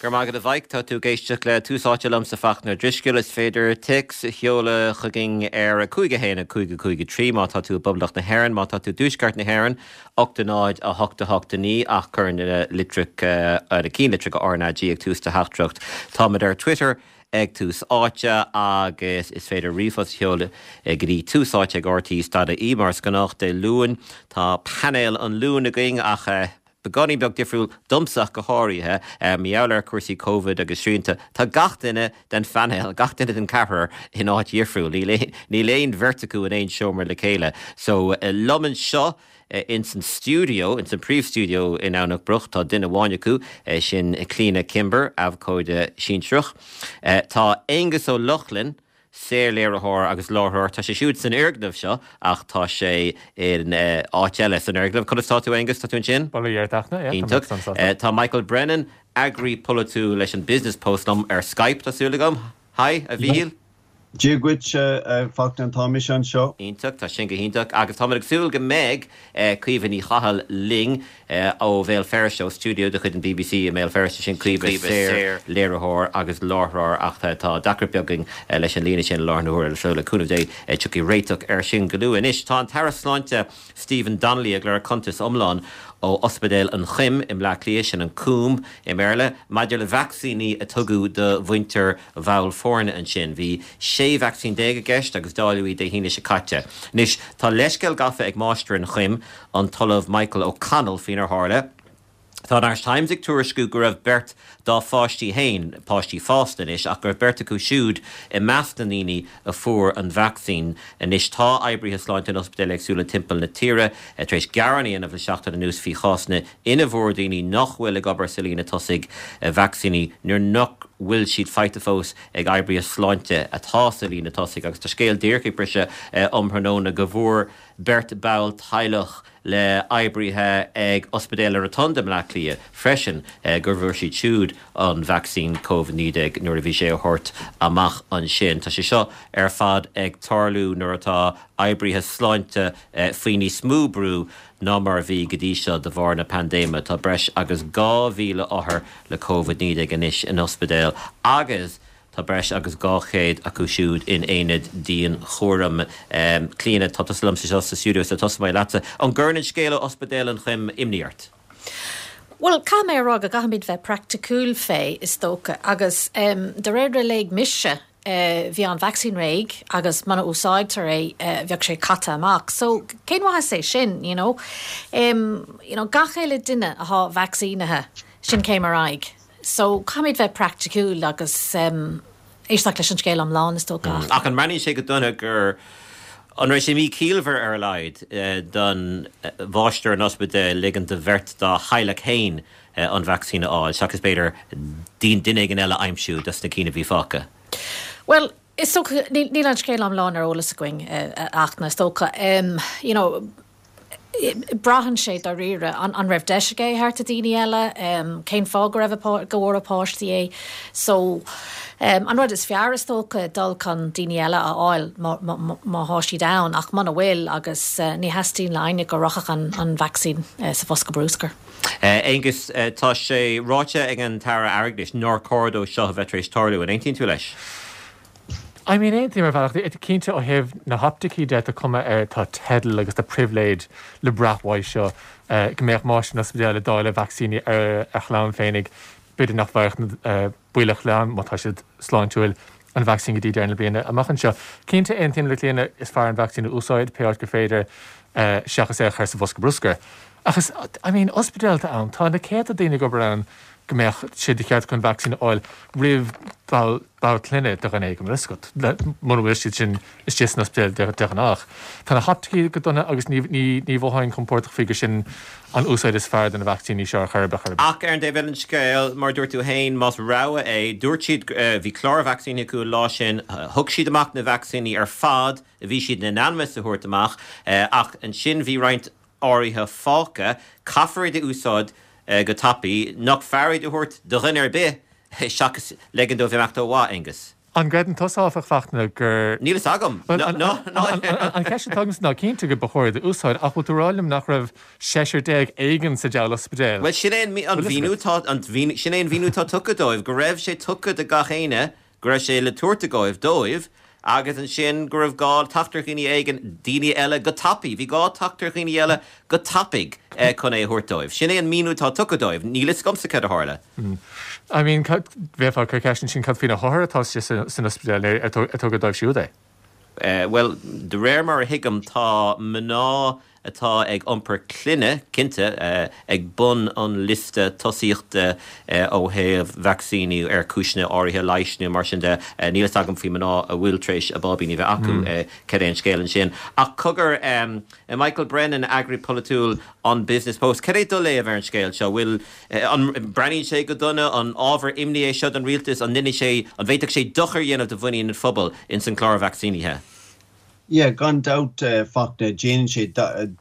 Go raibh maith agat a Mhaidhc. Tá tú ag éisteacht le Tús Áite liomsa Fachtna Ó Drisceoil. Is féidir téacs a sheoladh chugainn ar 5 1 5 5 3 má tá tú i bPoblacht na hÉireann, má tá tú i dTuaisceart na hÉireann, 8 0 8 8 9 ach cuir na litreacha, na cinnlitreacha RnaG ag tús do theachtaireacht. Táimid ar Twitter ag Tús Áite agus is féidir ríomhphost a sheoladh go dtí tús áite ag rte stad ie. Mar is gnách Dé Luain tá painéal an Luain againn ach beagáinín beag difriúil, domsa ach go háirithe, mar gheall ar chúrsaí Covid agus srianta. Tá gach duine den phainéal, gach duine den cheathrar in áit dhifriúil. Níl níl aon bheirt acu in aon seomra le chéile. So, liom anseo ins an stiúideo, ins an príomh-stiúideo i nDomhnach Broc, tá duine amháin acu, sin Clíona Kimber, abhcóide sinsearach. Tá Aonghus Ó Lochlainn, saorléiritheoir agus láithreoir. Tá sé siúd san fhoirgneamh seo ach tá sé in áit eile san fhoirgneamh. Conas tá tú, Aonghus? Tá tú ansin? Bail ó Dhia ort, a Fhachtna. Yeah, tá mé sona sásta. Tá Michael Brennan, eagraí polaitiúil leis an Business Post liom ar Skype, tá súil agam. Hi, a Mhíchíl. Dia dhuit, a Fhachtna, tá mise anseo. Iontach, tá sin go hiontach. Agus táimid ag súil go mbeidh Caoimhe Ní Chathail linn ó Bhéal Feirste, ó stiúideo de chuid an bbc i mBéal Feirste, sin Caoimhe, saor-léiritheoir agus láithreoir ach tá deacracht beag againn leis an líne sin i láthair na huaire so le cúnamh Dé tiocfaidh réiteach air sin go luath. Anois tá an tAire Sláinte Stephen Donnelly ag lorg cuntas iomlán ó Ospidéal an Choim i mBleá Cliath, sin an Coombe i mBéarla, maidir le vacsaíní a tugadh do mhuintir bhall foirne ansin. Bhí 16 vacsaín i gceist agus dáileadh iad Dé hAoine seo caite. Anois, tá leithscéal gafa ag máistir an Choim, an tOllamh Michael O'Connell, faoinar tharla. Tá an Irish Times ag tuairisciú go raibh beirt dá pháistí féin, páistí fásta anois, ach go raibh beirt acu siúd i measc na ndaoine a fuair an vacsaín. Anois, tá oibrithe sláinte in ospidéil éagsúla timpeall na tíre tar éis gearán a dhéanamh le seachtain anuas faoi chásanna ina bhfuair daoine nach bhfuil ag obair sa líne tosaigh vacsaíní nuair nach bhfuil siad faighte fós ag oibrithe sláinte atá sa líne tosaigh agus tá scéal díreach ag briseadh um thráthnóna go bhfuair beirt ball teaghlach le oibrithe ag Ospidéal na Rotunda i mBleá Cliath freisin go bhfuair siad siúd an vacsaín Covid-19 nuair a bhí sé á thabhairt amach ansin. Tá sé seo ar fad ag tarlú nuair atá oibrithe sláinte faoi níos mó brú ná mar a bhí go dtí seo de bharr na paindéime. Tá breis agus 2,000 othar le Covid-19 anois in ospidéil agus tá breis agus 200 acu siúd in aonaid dianchúraim. Clíona, tá tusa liom anseo sa stiúideo so tosóidh mé leatsa. An gcuireann an scéal ó Ospidéal an Choim imní ort? Bhuel, caithfidh mé a rá go gcaithfimid bheith praiticiúil fé, is dócha, agus de réir a léigh mise, bhí an vacsaín réidh agus muna úsáidtear é bheadh sé caite amach. So cén mhaitheas é sin, you know? You know, gach uile duine athá vacsaínithe, sin céim ar aghaidh. So caithfimid bheith praiticiúil agus éisteacht leis an scéal iomlán, is dócha. Ach an mbreathnaíonn sé go dona gur, an raibh sé míchiallmhar ar a laghad don mháistir an ospidéil ligean do bheirt dá theaghlach féin an vacsaín a fháil, seachas b'fhéidir duine éigin eile a aimsiú dos na cinn a bhí fágtha? Bhuel, is dócha, níl an scéal iomlán ar eolas againn, a Fhachtna, is dócha. You know, braitheann sé dáiríre, an raibh deis aige é a thabhairt do daoine eile? Cén fáth go raibh a, go bhfuair a páistí é? So, an rud is fearr, is dócha, dul chun daoine eile a fháil má thá siad ann, ach muna bhfuil, agus ní theastaíonn le éinne go rachadh an vacsaín sa bhosca bruscair. Aengus, tá sé ráite ag an tAire Airgeadais nár chóir dó seo a bheith tar éis tarlú. An aontaíonn tú leis? I mean, aontaím ar bhealach. Cinnte, ó thaobh na hoptaicí de, tá cuma air, tá teideal agus tá pribhléid le brath uaidh seo, go mbeadh máistir an ospidéil ag dáileadh vacsaíní ar a chlann féinig. B'fhéidir nach bhfaigheadh na baill a chlann, má tá siad sláintiúil, an vacsaín go dtí deireadh na bliana amach anseo. Cinnte, aontaím le Clíona, is fearr an vacsaín a úsáid pé áit gur féidir seachas é a chur sa bhosca bruscair. Ach is, I mean, ospidéal atá ann, tá na céadta daoine ag obair ann go mbeadh sé de cheart acu an vacsaín a fháil roimh ball ball clainne de dhuine éigin, bhfuil a fhios agat, mura bhfuil siad sin istigh san ospidéal de ghnách. Tá na hoptaicí go dona agus ní, ní, ní mhothóinn compordach faoi gur sin an úsáid is fearr de na vacsaíní seo ar chor ar bith, chor ar bith. Ach ar an dtaobh eile den scéal, mar a dúirt tú féin, más rogha é, dúirt siad, bhí clár vacsaíní acu an lá sin, thug siad amach na vacsaíní ar fad a bhí siad in ainm is a thabhairt amach, ach ansin bhí roinnt áirithe fágtha, caithfear iad a úsáid go tapaidh, nach fearr iad a thabhairt do dhuine ar bith seachas ligean dóibh imeacht ó mhaith, Aengus? An gcreideann tusa, áfach, Fachtna, gur. Níl fhios agam. An cheist atá agamsa ná, cinnte go ba chóir iad a úsáid, ach bhfuil tú ag rá liom nach raibh seisear éigin sa diabhal ospidéal? Bhuel, sin é an mhíniú atá, sin é an mhíniú atá tugtha dóibh, go raibh sé tugtha do gach éinne go raibh sé le tabhairt agaibh dóibh agus ansin go raibh gá teacht ar dhaoine éigin, daoine eile go tapaidh, bhí gá teacht ar dhaoine eile go tapaidh chun é a thabhairt dóibh. Sin é an míniú atá tugtha dóibh. Níl fhios agamsa céard a tharla. I mean, bheifeá ag cur ceist ansin cad faoi na hothair atá istigh san ospidéal, ar tugadh dóibh siúd é? Bhuel, de réir mar a thuigim, tá mná atá ag iompar clainne, cinnte, ag bun an liosta tosaíochta ó thaobh vacsaíniú ar chúiseanna áirithe leighis nó mar sin de. Níl fhios agam faoi mná a bhfuil tar éis a báibíní a bheith acu, cad é an scéal ansin. Ach cogar, Michael Brennan, eagraí polaitiúil an Business Post, cad é do léamh ar an scéal seo? Bhfuil, an mbreathnaíonn sé go dona? An ábhar imní é seo don rialtas? An ndéanfaidh sé, an bhféadfadh sé dochar a dhéanamh do mhuinín an phobail ins an clár vacsaínithe? Yeah, gan dabht, Fachtna, déanann sé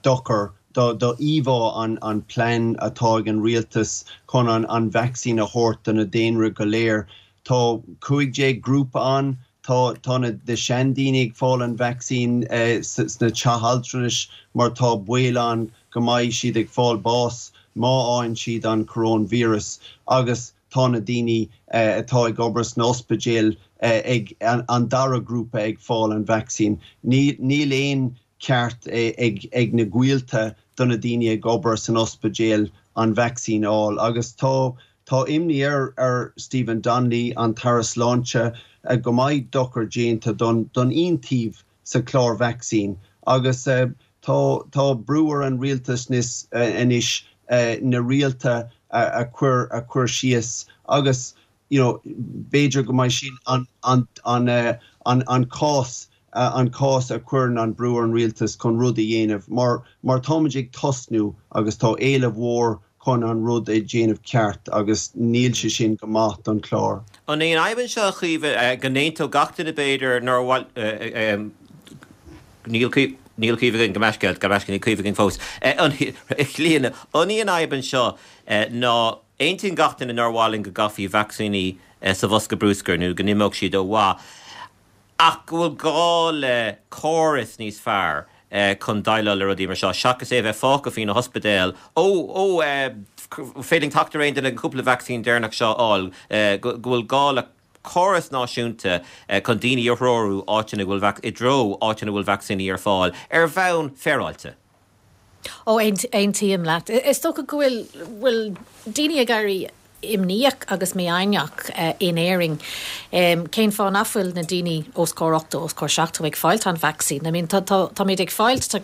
dochar do íomhá an plean atá ag an rialtas chun an vacsaín a thabhairt do na daonra go léir. Tá 15 grúpa ann, tá tá na seandaoine ag fáil an vacsaín sna teach altranais mar tá baol ann go mbeidh siad ag fáil bás má fhaigheann siad an coróinvíreas agus tá na daoine atá ag obair sna ospidéil ag an dara grúpa ag fáil an vacsaín. Níl aon ceart ag na gaolta do na daoine ag obair san ospidéal an vacsaín a fháil agus tá tá imní ar ar Stephen Donnelly, an tAire Sláinte, go mbeidh dochar déanta don don iontaoibh sa chlár vacsaín agus tá tá brú ar an rialtas anois na rialta a chur a chur síos agus you know b'fhéidir go mbeidh sin an an an an an cás an cás a chuireann an brú ar an rialtas chun rud a dhéanamh mar mar táimid ag tosnú agus tá éileamh mhór chun an rud a dhéanamh ceart agus níl sé sin go maith don chlár. An é an fhadhb anseo, a Chaoimhe, go n-aontódh gach duine b'fhéidir nár mhaith, níl níl Caoimhe againn, gabh mo leithscéal, gabh mo leithscéal, níl Caoimhe againn fós, a Chlíodhna, an í an fhadhb anseo ná aontaíonn gach duine nár mhaith linn go gcaithfí vacsaíní sa bhosca brúscair nó go n-imeodh siad ó mhaith, ach go bhfuil gá le córas níos fearr chun déileáil le rudaí mar seo, seachas é a bheith fágtha faoi na hospidéil, ó, ó, féidir linn teacht ar aon duine an cúpla vacsaín deireanach seo a fháil, go bhfuil gá le córas náisiúnta chun daoine a threorú áiteanna go bhfuil, i dtreo áiteanna a bhfuil vacsaíní ar fáil ar bhonn féaráilte. Ó, aontaím leat. Is dócha go bhfuil, bhfuil daoine ag éirí imníoch agus mífhoighneach in Éirinn. Cén fáth nach bhfuil na daoine os comhair 80, os comhair 70 ag fáilt an vacsaín? I mean, tá, tá, táimid ag fáilt, tá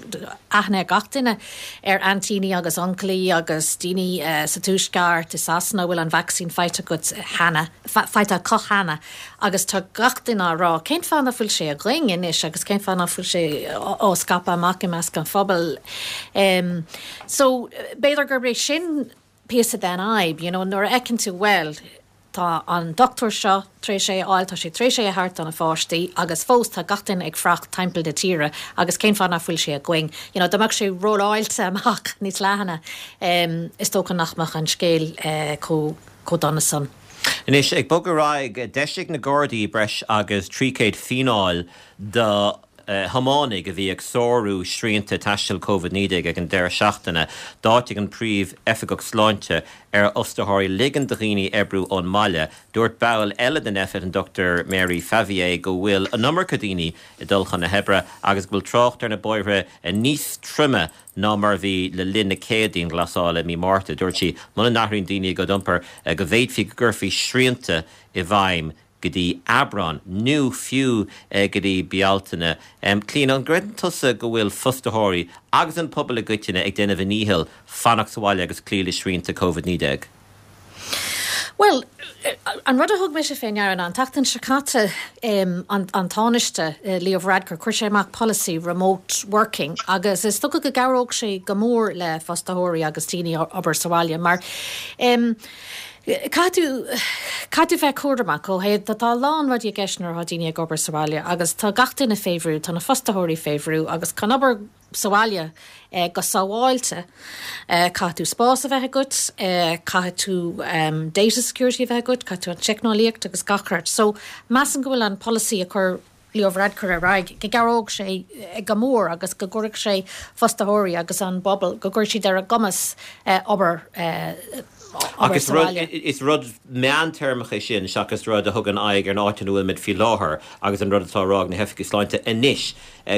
aithne ag gach duine ar aintíní agus uncailí agus daoine sa Tuaisceart, i Sasana a bhfuil an vacsaín faighte acu cheana, faighte acu cheana agus tá gach duine á rá, cén fáth nach bhfuil sé againn anois agus cén fáth nach bhfuil sé á scaipeadh amach i measc an phobail? So, b'fhéidir gurb é sin píosa den fhadhb, you know, nuair a fheiceann tú, bhuel, tá an dochtúir seo tar éis é a fháil, tá sé tar éis é a thabhairt do na pháistí agus fós tá gach duine ag fuireach timpeall na tíre agus cén fáth nach bhfuil sé againn? You know, dá mbeadh sé rolláilte amach níos leathana, is dócha nach mbeadh an scéal chomh, chomh dona san. Anois, ag bogadh ar aghaidh, d'eisigh na Gardaí breis agus 300 fíneáil do thiománaithe a bhí ag sárú srianta taistil Covid-19 ag an deireadh seachtaine. D'áitigh an Príomh-Oifigeach Sláinte ar fhostaitheoirí ligean do dhaoine oibriú ón mbaile. Dúirt ball eile den Nphet, an Dr Mary Favier, go bhfuil an iomarca daoine ag dul chun na hoibre agus go bhfuil trácht ar na bóithre níos troime ná mar a bhí le linn na céad dianghlasála i mí Márta. Dúirt sí, muna n-athraíonn daoine a gcuid iompair, go bhféadfaí go gcuirfí srianta i bhfeidhm go dtí Aibreán, nó fiú go dtí Bealtaine. Clíona, an gcreideann tusa go bhfuil fostaitheoirí agus an pobal i gcoitinne ag déanamh a ndícheall fanacht sa bhaile agus cloí le srianta Covid-19? Bhuel, an rud a thug mise fé ndeara ná an tseachtain seo caite, an Tánaiste, Leo Varadkar, chuir sé amach polasaí remote working agus is dócha go gcabhródh sé go mór le fostaitheoirí agus daoine obair sa bhaile mar. Caithfidh tú, caithfidh tú bheith cúramach ó thaobh, tá a lán rudaí i gceist nuair atá daoine ag obair sa bhaile agus tá gach duine fé bhrú, tá na fostaitheoirí fé bhrú agus chun obair sa bhaile go sábháilte caithfidh tú spás a bheith agat, caithfidh tú data security a bheith agat, caithfidh tú an teicneolaíocht agus gach rud. So measaim go bhfuil an polasaí a chuir Leo Varadkar ar aghaidh, go gcabhródh sé go mór agus go gcuirfeadh sé fostaitheoirí agus an bpobal, go gcuirfeadh siad ar a gcumas obair Ach is rud, is rud meántéarmach é sin seachas rud a thugann aghaidh ar an áit ina bhfuilimid faoi láthair agus an rud atá á rá ag na hoifigigh sláinte anois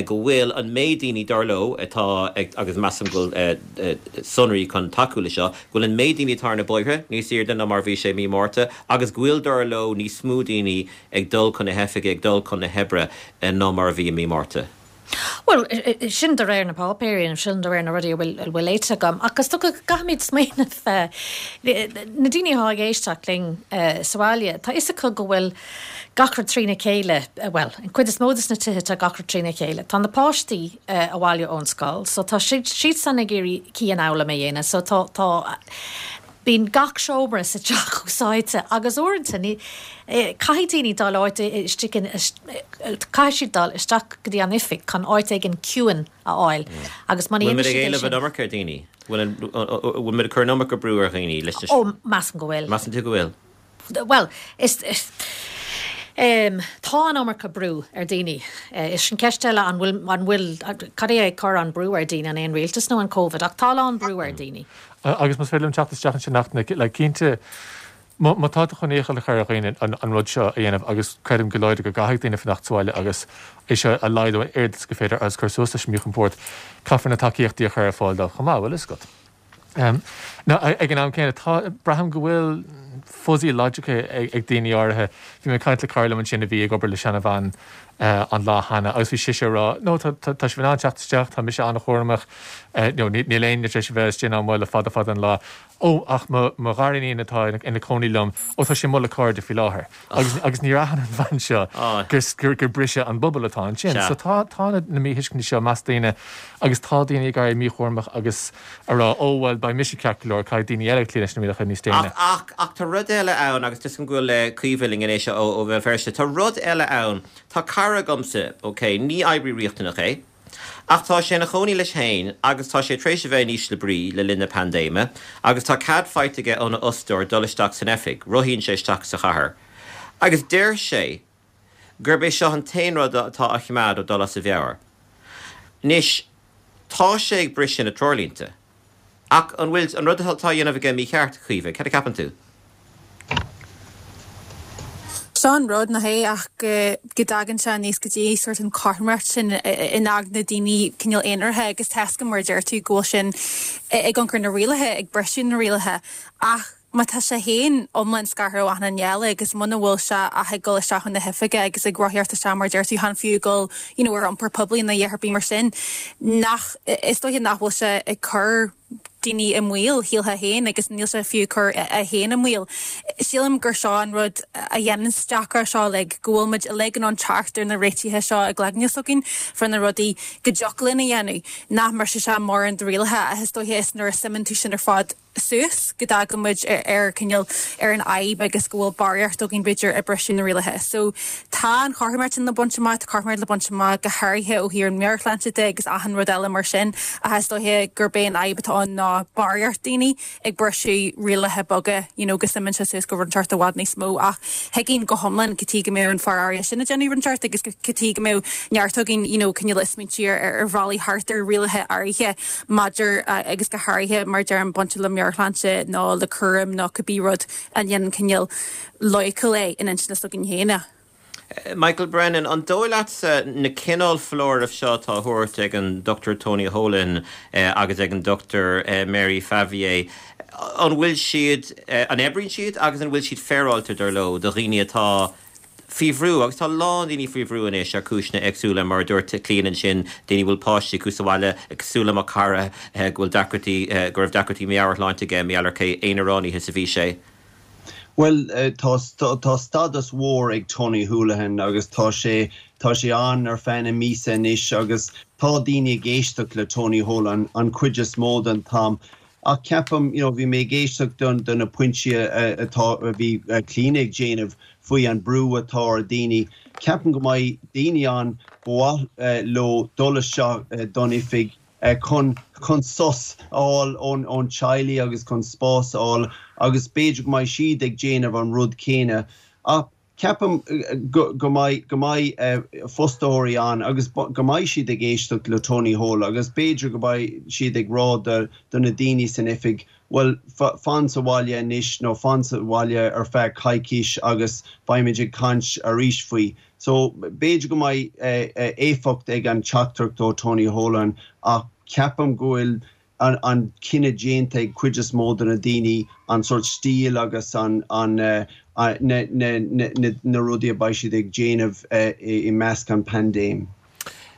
go bhfuil an méid daoine, dar leo, atá ag, agus measaim go bhfuil sonraí chun tacú le seo, go bhfuil an méid daoine atá ar na bóithre níos airde ná mar a bhí sé i mí Márta agus go bhfuil, dar leo, níos mó daoine ag dul chun na hoifige, ag dul chun na hoibre ná mar a bhí i mí Márta. Bhuel, sin de réir na páipéirí nó sin de réir na rudaí a bhfuil a bhfuil léite agam. Ach is dócha go gcaithfimid smaoineamh, na daoine atá ag éisteacht linn sa bhaile, tá fhios acu go bhfuil gach rud trína chéile, bhuel, an chuid is mó de na tithe tá gach rud trína chéile. Tá na páistí abhaile ón scoil so tá siadsan ag iarraidh cianfhoghlaim a dhéanamh so tá, tá, Bíonn gach seomra sa teach úsáidte agus uaireanta ní, caithfidh daoine dul áit istigh in, caithfidh siad dul isteach go dtí an oifig chun áit éigin ciúin a fháil agus muna Bhfuil muid ag siad é éileamh sin. an iomarca ar dhaoine? Bhfuil an, bhfuil muid ag cur an iomarca brú ar dhaoine leis na. Ó, measaim go bhfuil. Measann tú go bhfuil? Bhuel, is, tá an iomarca brú ar daoine. Is sin ceist eile, an bhfuil, an bhfuil, cad é ag cur an brú ar daoine, an é an rialtas nó an Covid? Ach tá a lán brú ar daoine. Agus más féidir liom teacht isteach ansin ach like cinnte, má tá tú chun iachall a chur ar dhaoine an rud seo a dhéanamh agus creidim go láidir go gcaithfidh daoine fanacht sa bhaile agus é seo a laghdú an oiread is gur féidir agus cur suas leis an míchompord, caithfear na tacaíochtaí a chur ar fáil dóibh chomh maith, bhfuil fhios agat. Now, ag an am céanna, tá, braithim go bhfuil fuzzy logic ag daoine áirithe. Bhí mé ag caint le cara liom ansin a bhí ag obair le seanabhean an lá cheana agus bhí sise ag rá, no, tá, tá, tá sibh in ann teacht isteach, tá mise an-chúramach, no, níl éinne tar éis a bheith istigh ná amuigh le fada fada an lá. Ó, ach mo, mo ghariníon atá ina cónaí liom, ó, tá sí amuigh le cairde faoi láthair. Agus, agus níor aithin an bhean seo gur, gur, gur briseadh an bubble atá ansin. So tá, tá na, na míthuiscintí seo i measc daoine agus tá daoine ag éirí míchúramach agus a rá, ó, bhuel, beidh mise ceart go leor, caithfidh daoine eile cloí leis na rialacha níos déine. Ach, ach, ach tá rud eile ann agus tuigim go bhfuil Caoimhe linn anois ó, ó Bhéal Feirste. Tá rud eile ann. Tá cara agamsa, ok, ní oibrí riachtanach é, Ach tá sé ina chónaí leis féin agus tá sé tar éis a bheith in ísle brí le linn na paindéime agus tá cead faighte aige óna fhostóir dul isteach san oifig, rothaíonn sé isteach sa chathair agus deir sé gurb é seo an t-aon rud atá á choimeád ó dul as a mheabhair. Anois, tá sé ag briseadh na treoirlínte. Ach an bhfuil an rud atá á dhéanamh aige mícheart, Caoimhe? Cad a cheapann tú? Seo an rud, nach é ach go dtagann sé aníos go dtí sórt an chothromaíocht sin in aigne daoine cineál aonaracha agus tá a fhios agam mar a deir tú go bhfuil sin ag ionchur na rialacha, ag briseadh na rialacha ach má tá sé féin iomlán scartha ó achan duine eile agus muna bhfuil sé ach ag dul isteach chun na hoifige agus ag rothaíocht isteach mar a deir tú, chan fiú ag dul you know ar iompar poiblí nó a dhath ar bith mar sin, nach, is dóiche nach bhfuil sé ag cur daoine i mbaol, shílfeá féin, agus níl sé fiú ag cur é féin i mbaol. Sílim gur seo an rud a dhéananns deacracht seo uilig, go bhfuil muid uilig in ann teacht ar na réitithe seo i gcloigne s'againn fá na rudaí go dtiocfadh linn a dhéanamh, nach mbrisfidh sé mórán de rialacha ach is dóiche is nuair a suimeann tú sin ar fad suas go dtagann muid ar cineál ar an fhadhb agus go bhfuil barraíocht againn b'fhéidir ag briseadh na rialacha. So tá an chothromaíocht sin le baint amach, tá cothromaíocht le baint amach go háirithe ó thaobh an mheabhairshláinte de agus achan rud eile mar sin ach is dóiche gurb é an fhadhb atá ann ná barraíocht daoine ag briseadh rialacha beaga you know go suimeann sé suas go rud inteacht i bhfad níos mó ach thuigfinn go hiomlán cad chuige go mbeadh an fear áirithe sin ag déanamh rud inteacht agus cad chuige go mbeadh neart againn you know cineál ag smaointiú ar ar bhealaí thart ar rialacha áirithe maidir agus go háirithe mar deirim bainte le meabhairshláinte nó le cúram nó cibé rud a dhéanann cineál loighciúil é in intinne s'againn féin é. Michael Brennan, an dóigh leatsa na cineál foláirimh seo atá á thabhairt ag an Dr Tony Holohan agus ag an Dr Mary Favier, an bhfuil siad, an oibríonn siad agus an bhfuil siad féaráilte, dar leo, do dhaoine atá faoi bhrú, agus tá a lán daoine faoi bhrú anois ar chúiseanna éagsúla, mar a dúirt Clíona ansin, daoine a bhfuil páistí acu sa bhaile, cosúil le mo chara go bhfuil deacrachtaí, go raibh deacrachtaí meabhairshláinte aige, mar gheall ar cé aonaránaithe is a bhí sé. Bhuel, tá, tá stádas mhór ag Tony Holohan agus tá sé, tá sé ann ar feadh na míosa anois agus tá daoine ag éisteacht le Tony Holohan an chuid is mó den t-am. Ach ceapaim, you know, bhí mé ag éisteacht do na pointí atá, a bhí Clíona ag déanamh faoi an brú atá ar daoine. Ceapaim go mbeidh daoine ann ba mhaith leo dul isteach don oifig chun chun sos a fháil ón ón teaghlaigh agus chun spás a fháil agus b'fhéidir go mbeidh siad ag déanamh an rud céanna. Ach ceapaim go go mbeidh go mbeidh fostóirí ann agus go mbeidh siad ag éisteacht le Tony Holohan agus b'fhéidir go mbeidh siad ag rá do do na daoine san oifig bhuel fan sa bhaile anois nó fan sa bhaile ar feadh coicís agus beimid ag caint arís faoi. So b'fhéidir go mbeidh éifeacht ag an teachtaireacht ó Tony Holohan ach ceapaim go bhfuil an cinneadh déanta ag cuid is mó de na daoine an sórt stíl agus an na rudaí a beidh siad ag déanamh i measc an paindéim.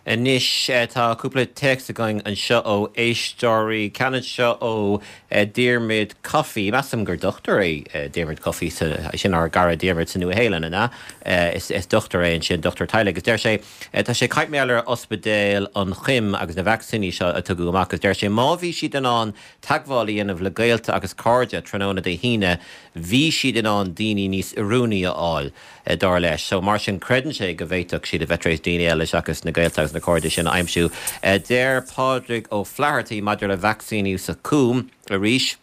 Anois tá cúpla téacs againn anseo ó éisteoirí. Ceann anseo ó Diarmuid Coffey. Measaim gur dochtúir é Diarmuid Coffey, sin ár gcara Diarmuid sa Nua-Shéalainn, an ea? Is dochtúir é ansin, dochtúir teaghlaigh. Agus deir sé, tá sé ag caint mar gheall ar Ospidéal an Choim agus na vacsaíní seo a tugadh amach agus deir sé má bhí siad in ann teagmháil a dhéanamh le gaolta agus cairde tráthnóna Dé hAoine, bhí siad in ann daoine níos oiriúnaí a fháil. dar leis. So, mar sin, creideann sé go bhféadfadh siad a bheith tar éis daoine eile seachas na gaolta agus na cairde sin a aimsiú. Deir Pádraig Ó Flathartaigh maidir le vacsaíniú sa Chúm arís,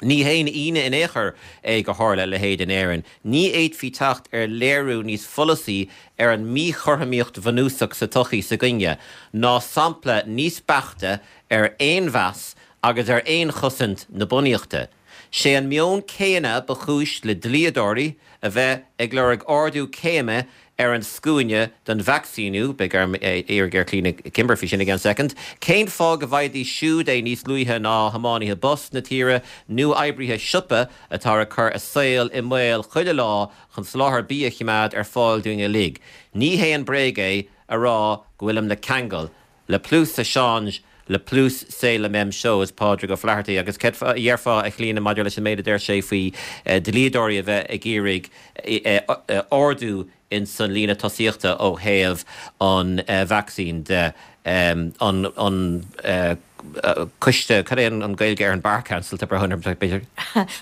Ní haon ionadh in aon chor é gur tharla a leithéid in Éirinn. Ní fhéadfaí teacht ar léiriú níos follasaí ar an míchothromaíocht bhunúsach sa tsochaí s'againne, ná sampla níos beaichte ar fhéinmheas agus ar fhéinchosaint na bunaíochta. Sé an meon céanna ba chúis le dlíodóirí a bheith ag lorg ardú céime ar an scuaine don vacsaíniú, beidh orm iarraidh ar Clíona Kimber faoi sin i gceann soicind. Cén fáth go bhfaighidís siúd é níos luaithe ná thiománaithe bus na tíre nó oibrithe siopa atá ag cur a saol i mbaol chuile lá chun soláthar bídh a choimeád ar fáil dúinn uilig? Ní haon bréag é a rá go bhfuilim le ceangal Le plus ça change, le plus c'est la même chose, Pádraig Ó Flathartaigh. Agus céard a dhéarfá, a Chlíona, maidir leis an méid a deir sé faoi dlíodóirí a bheith ag iarraidh ardú ins an líne tosaíochta ó thaobh an vacsaín de? An coiste, cad é an Gaeilge ar an Bar Council, tá brón orm, b'fhéidir?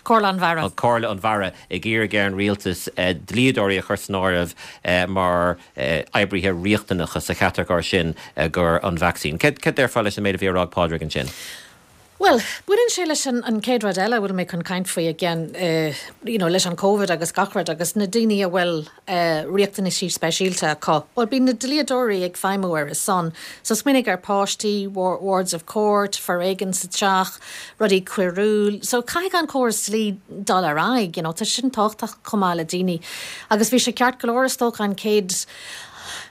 Comhairle an Bharra. Comhairle an Bharra ag iarraidh ar an rialtas dlíodóirí a chur san áireamh mar oibrithe riachtanacha sa chatagóir sin gur an vacsaín. Céard déarfá leis an méid a bhí á rá ag Pádraig ansin? Bhuel, baineann sé leis an chéad rud eile a bhfuil mé chun caint faoi again, you know, leis an Covid agus gach rud agus na daoine a bhfuil riachtanaisí speisialta acu. Bhuel, bíonn na dlíodóirí ag feidhmiú ar a son. So smaoinigh ar páistí, wards of court, foréigean sa teach, rudaí coiriúil. So caithfidh an córas dlí dul ar aghaidh, you know, tá sin tábhachtach chomh maith le daoine. Agus bhí sé ceart go leor is dócha an chéad,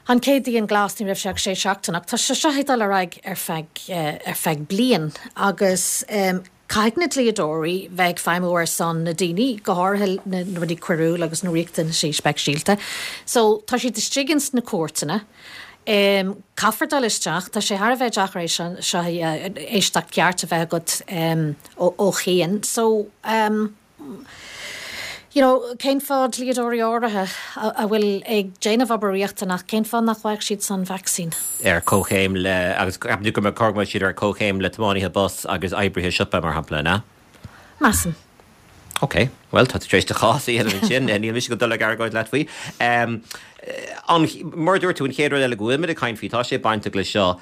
an chéad dianghlas, ní raibh sé ach sé seachtain ach tá sé seo ag dul ar aghaidh ar feadh, ar feadh bliain agus caithfidh na dlíodóirí bheith ag feidhmiú ar son na daoine, go háirithe na rudaí coiriúil agus na riachtanaisí speisialta. So tá siad istigh ins na cúirteanna. Caithfear dul isteach. Tá sé thar a bheith deacair é seo éisteacht ceart a bheith agat ó chian. So, you know, cén fáth dlíodóirí áirithe a bhfuil ag déanamh obair riachtanach, cén fáth nach bhfaigheadh siad san vacsaín? ar comhchéim le, agus ceapann tú go mbeadh cóir go mbeadh siad ar comhchéim le tiománaithe bus agus oibrithe siopa, mar shampla, an ea? Measaim. Ok, bhuel, tá tú tar éis do chás a dhéanamh ansin, níl mise ag dul ag argóint leat faoi. An, mar a dúirt tú, an chéad rud eile go bhfuilimid ag caint faoi, tá sé bainteach le seo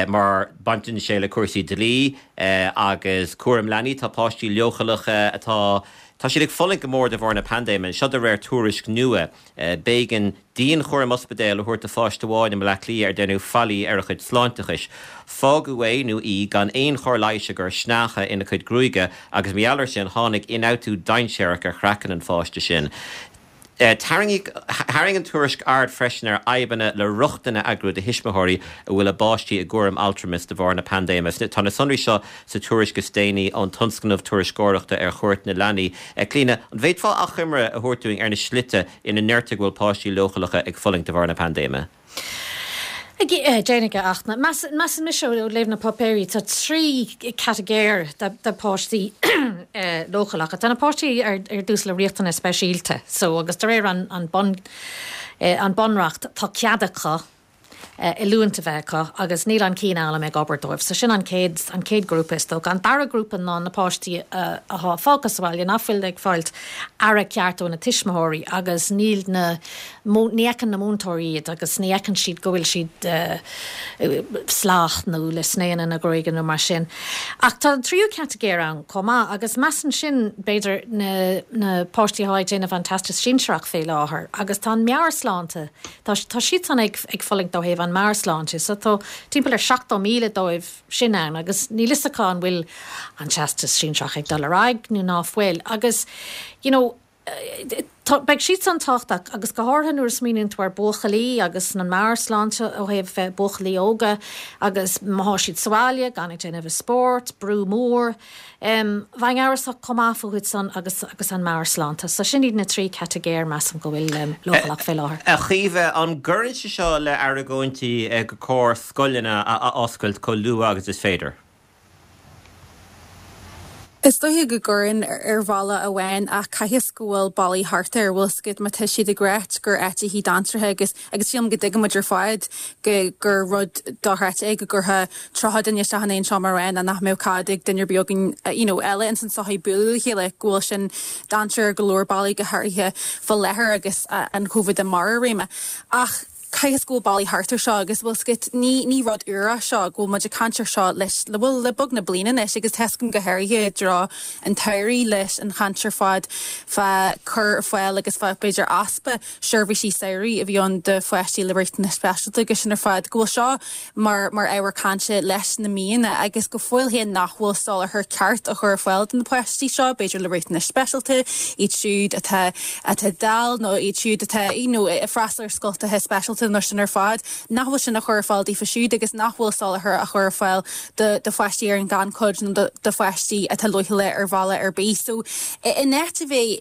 mar baineann sé le cúrsaí dlí agus cúram leanaí, tá páistí leochaileacha atá, tá siad ag fulaingt go mór de bharr na paindéime, seo de réir tuairisc nua. B'éigean dianchúram ospidéil a thabhairt do pháiste amháin i mBaile Átha Cliath ar deineadh faillí ar a chuid sláinteachais. Fágadh é nó í gan aon chóir leighis i gcur sneácha ina cuid gruaige agus mar gheall air sin tháinig ionfhabhtú dainséarach ar chraiceann an pháiste sin. Tharraing an tuairisc aird freisin ar fhadhbanna le rochtain a eagrú do thuismitheoirí a bhfuil a bpáistí i gcúram altramais de bharr na paindéime. Tá na sonraí seo sa tuairisc is déanaí ón Tionscnamh Tuairisceoireachta ar Chuairt na Leanaí. Clíona, an bhféadfá achoimre a thabhairt dúinn ar na slite ina ndeirtear go bhfuil páistí leochaileacha ag fulaingt de bharr na paindéime. Déanfaidh, a Fhachtna. Measann mise ó léamh na páipéirí, tá 3 catagóir de pháistí leochaileacha. Tá na páistí ar dtús le riachtanais speisialta so agus de réir an bun an bunreacht tá cead acu. oiliúint a bheith acu agus níl an cianfhoghlaim ag obair dóibh. So sin an chéad, an chéad ghrúpa is dócha. An dara grúpa ná na páistí athá fágtha sa bhaile nach bhfuil ag fáilt aire ceart ó na tuismitheoirí agus níl na, ní fheiceann na múinteoirí iad agus ní fheiceann siad go bhfuil siad salach nó le snéanna ina ngruaige nó mar sin. Ach tá an tríú catagóir ann chomh maith agus measaim sin b'fhéidir na, na páistí athá ag déanamh an Teastas Sinsearach fé láthair agus tá an meabhairshláinte, Tá tá siadsan ag ag fulaingt ó thaobh an meabhairshláinte so tá timpeall ar 70,000 dóibh sin ann agus níl fhios acu an bhfuil an Teastas Sinsearach ag dul ar aghaidh nó ná fuil agus you know tá beidh siadsan tábhachtach agus go háirithe nuair a smaoiníonn tú ar buachaillí agus an meabhairshláinte ó thaobh buachaillí óga agus má thá siad sa bhaile gan ag déanamh a spórt, brú mór. Bheinn amhrasach chomh maith fúthu san agus agus an meabhairshláinte. So sin iad na 3 catagóir measaim go bhfuil leochaileach fé láthair. A Chaoimhe, an gcuireann sé seo le argóintí gur cóir scoileanna a oscailt chomh luath agus is féidir? Is dóiche go gcuireann ar bhealach amháin ach caithfidh go bhfuil bealaí thart air, bhfuil 's agat má tá siad ag ráit gur áit í dainséartha agus Agus sílim go dtuigeann muid ar fad go gur rud dochreidte é go gcuirfeá 30 duine isteach in aon seomra amháin and nach mbeadh cead ag duine ar bith againn you know eile ins an tsochaí bualadh le chéile, go bhfuil sin dainséar ar go leor bealaí go háirithe fá láthair agus an Covid i mbarr a réime. Ach caithfidh go bhfuil bealaí thart ar seo agus bhfuil 's agat ní ní rud úr é seo go bhfuil muid ag caint ar seo leis le bhuel le beagnach bliain anois agus tá 's agam go háirithe i dtreo an tsamhraidh leis an chaint ar fad fá cur ar fáil agus fá b'fhéidir easpa seirbhísí samhraidh a bhí ann do pháistí le riachtanais speisialta agus sin ar fad, go bhfuil seo mar mar ábhar cainte leis na míonna agus go fóill féin nach bhfuil soláthar ceart á chur ar fáil do na páistí seo, b'fhéidir le riachtanais speisialta, iad siúd atá atá dall nó iad siúd atá you know ag freastal ar scoltacha speisialta nó sin ar fad, nach bhfuil sin á chur ar fáil daofa siúd agus nach bhfuil soláthar á chur ar fáil do do pháistí ar an ghannchuid nó do do pháistí atá leochaileach ar bhealach ar bith. So in áit a bheith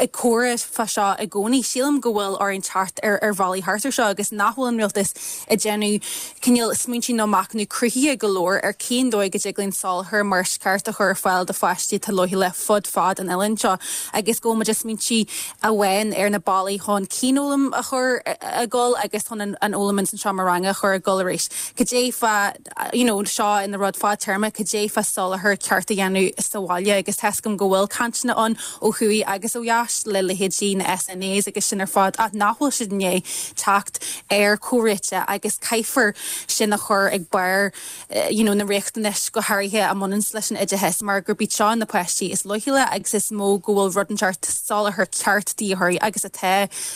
ag comhrá fá seo i gcónaí. Sílim go bhfuil orainn teacht ar ar bhealaí thart ar seo agus nach bhfuil an rialtas ag déanamh cineál smaointí nó machnamh cruthaithe go leor ar cén dóigh go dtig linn soláthar mar is ceart a chur ar fáil do pháistí atá leochaileach fud fad an oileáin seo agus go bhfuil muid ag smaointiú amháin ar na bealaí chun cianfhoghlaim a chur ag dul agus chun an fhoghlaim ins an seomra ranga a chur ag dul arís. Cad é fá you know seo ina rud fadtéarma, cad é fá soláthar ceart a dhéanamh sa bhaile agus tá 's agam go bhfuil cainteanna ann ó thuaidh agus ó dheas le leithéidí na SNAs agus sin ar fad ach nach bhfuil siad i ndiaidh teacht ar chomhréiteach agus caithfear sin a chur ag barr you know na riachtanais go háirithe a mbaineann leis an oideachas mar gurb iad seo na páistí is leochaile agus is mó go bhfuil rud inteacht soláthar ceart de dhíth orthu agus atá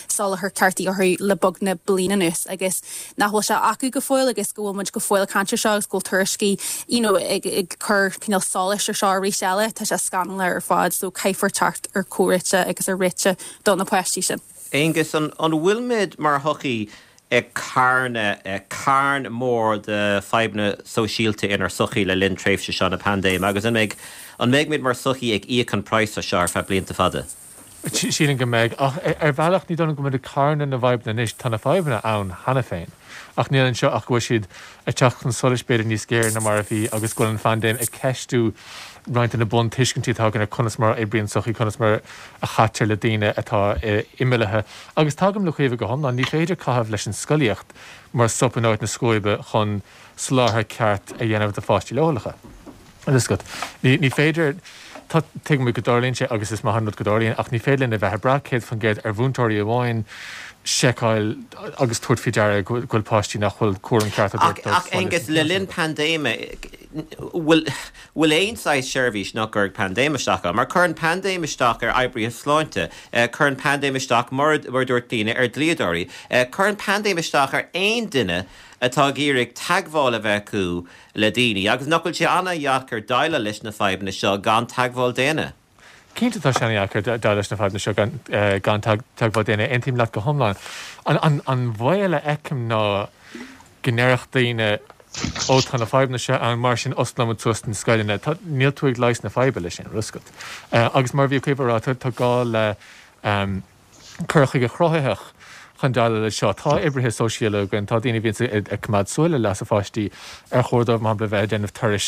soláthar ceart de dhíth orthu le beagnach bliain anuas agus nach bhfuil sé acu go fóill agus go bhfuil muid go fóill ag caint ar seo agus go bhfuil tuairiscí you know ag ag cur cineál solais ar seo arís eile, tá sé scannalach ar fad so caithfear teacht ar chomhréiteach agus ar réiteach do na páistí sin. Aonghus, an an bhfuil muid mar shochaí ag carnadh carn mór de fadhbanna sóisialta inár sochaí le linn tréimhse seo na paindéime agus an mbeidh an mbeidh muid mar sochaí ag íoc an praghas as seo ar feadh blianta fada? Sílim go mbeidh, ach ar bhealach ní dóigh liom go bhfuil muid ag carnadh na bhfadhbanna anois, tá na fadhbanna ann cheana féin, ach níl anseo ach go bhfuil siad ag teacht chun solais b'fhéidir níos géire ná mar a bhí agus go bhfuil an phaindéim ag ceistiú roinnt de na buntuiscintí atá againn ar conas mar a oibríonn sochaí, conas mar a chaitear le daoine atá imeallaithe. Agus tagaim le Caoimhe go hiomlán, ní féidir caitheamh leis an scolaíocht mar sop in áit na scuaibe chun soláthar ceart a dhéanamh do pháistí leochaileacha. Agat. Ní féidir, tá, tuigimid go dtarlaíonn sé agus is maith an rud go dtarlaíonn ach ní féidir linn a bheith ag brath 100% ar mhúinteoirí amháin seiceáil agus tabhairt faoi deara go bhfuil páistí nach bhfuil cúram ceart á dtabhairt dóibh. Ach Aonghus, le linn paindéime, bhfuil, bhfuil aon saghas seirbhís nach gcuirfidh paindéim isteach ann? Mar cuireann paindéim isteach ar oibrithe sláinte, cuireann paindéim isteach, mar a dúirt daoine, ar dhlíodóirí, cuireann paindéim isteach ar aon duine atá ag iarraidh teagmháil a bheith acu le daoine, agus nach bhfuil sé an-dheacair déileáil leis na fadhbanna seo gan teagmháil daonna? Cinnte tá sé an-dheacair déileáil leis na fadhbanna seo gan teagmháil daonna, aontaím leat go hiomlán. An baol a fheicim ná go ndéarfadh daoine ó tá na fadhbanna seo ann, mar sin osclóimid suas na scoileanna. Níl tú ag leigheas na faidhbe leis sin, bhfuil a fhios agat. Agus mar a bhí Caoimhe a rá, tá gá le. cur chuige cruthaitheach chun déileáil leis seo. Tá oibrithe sóisialta againn, tá daoine a bhíonns ag coimeád súil ar leasa pháistí, ar chóir dóibh, mar shampla, a bheith ag déanamh turais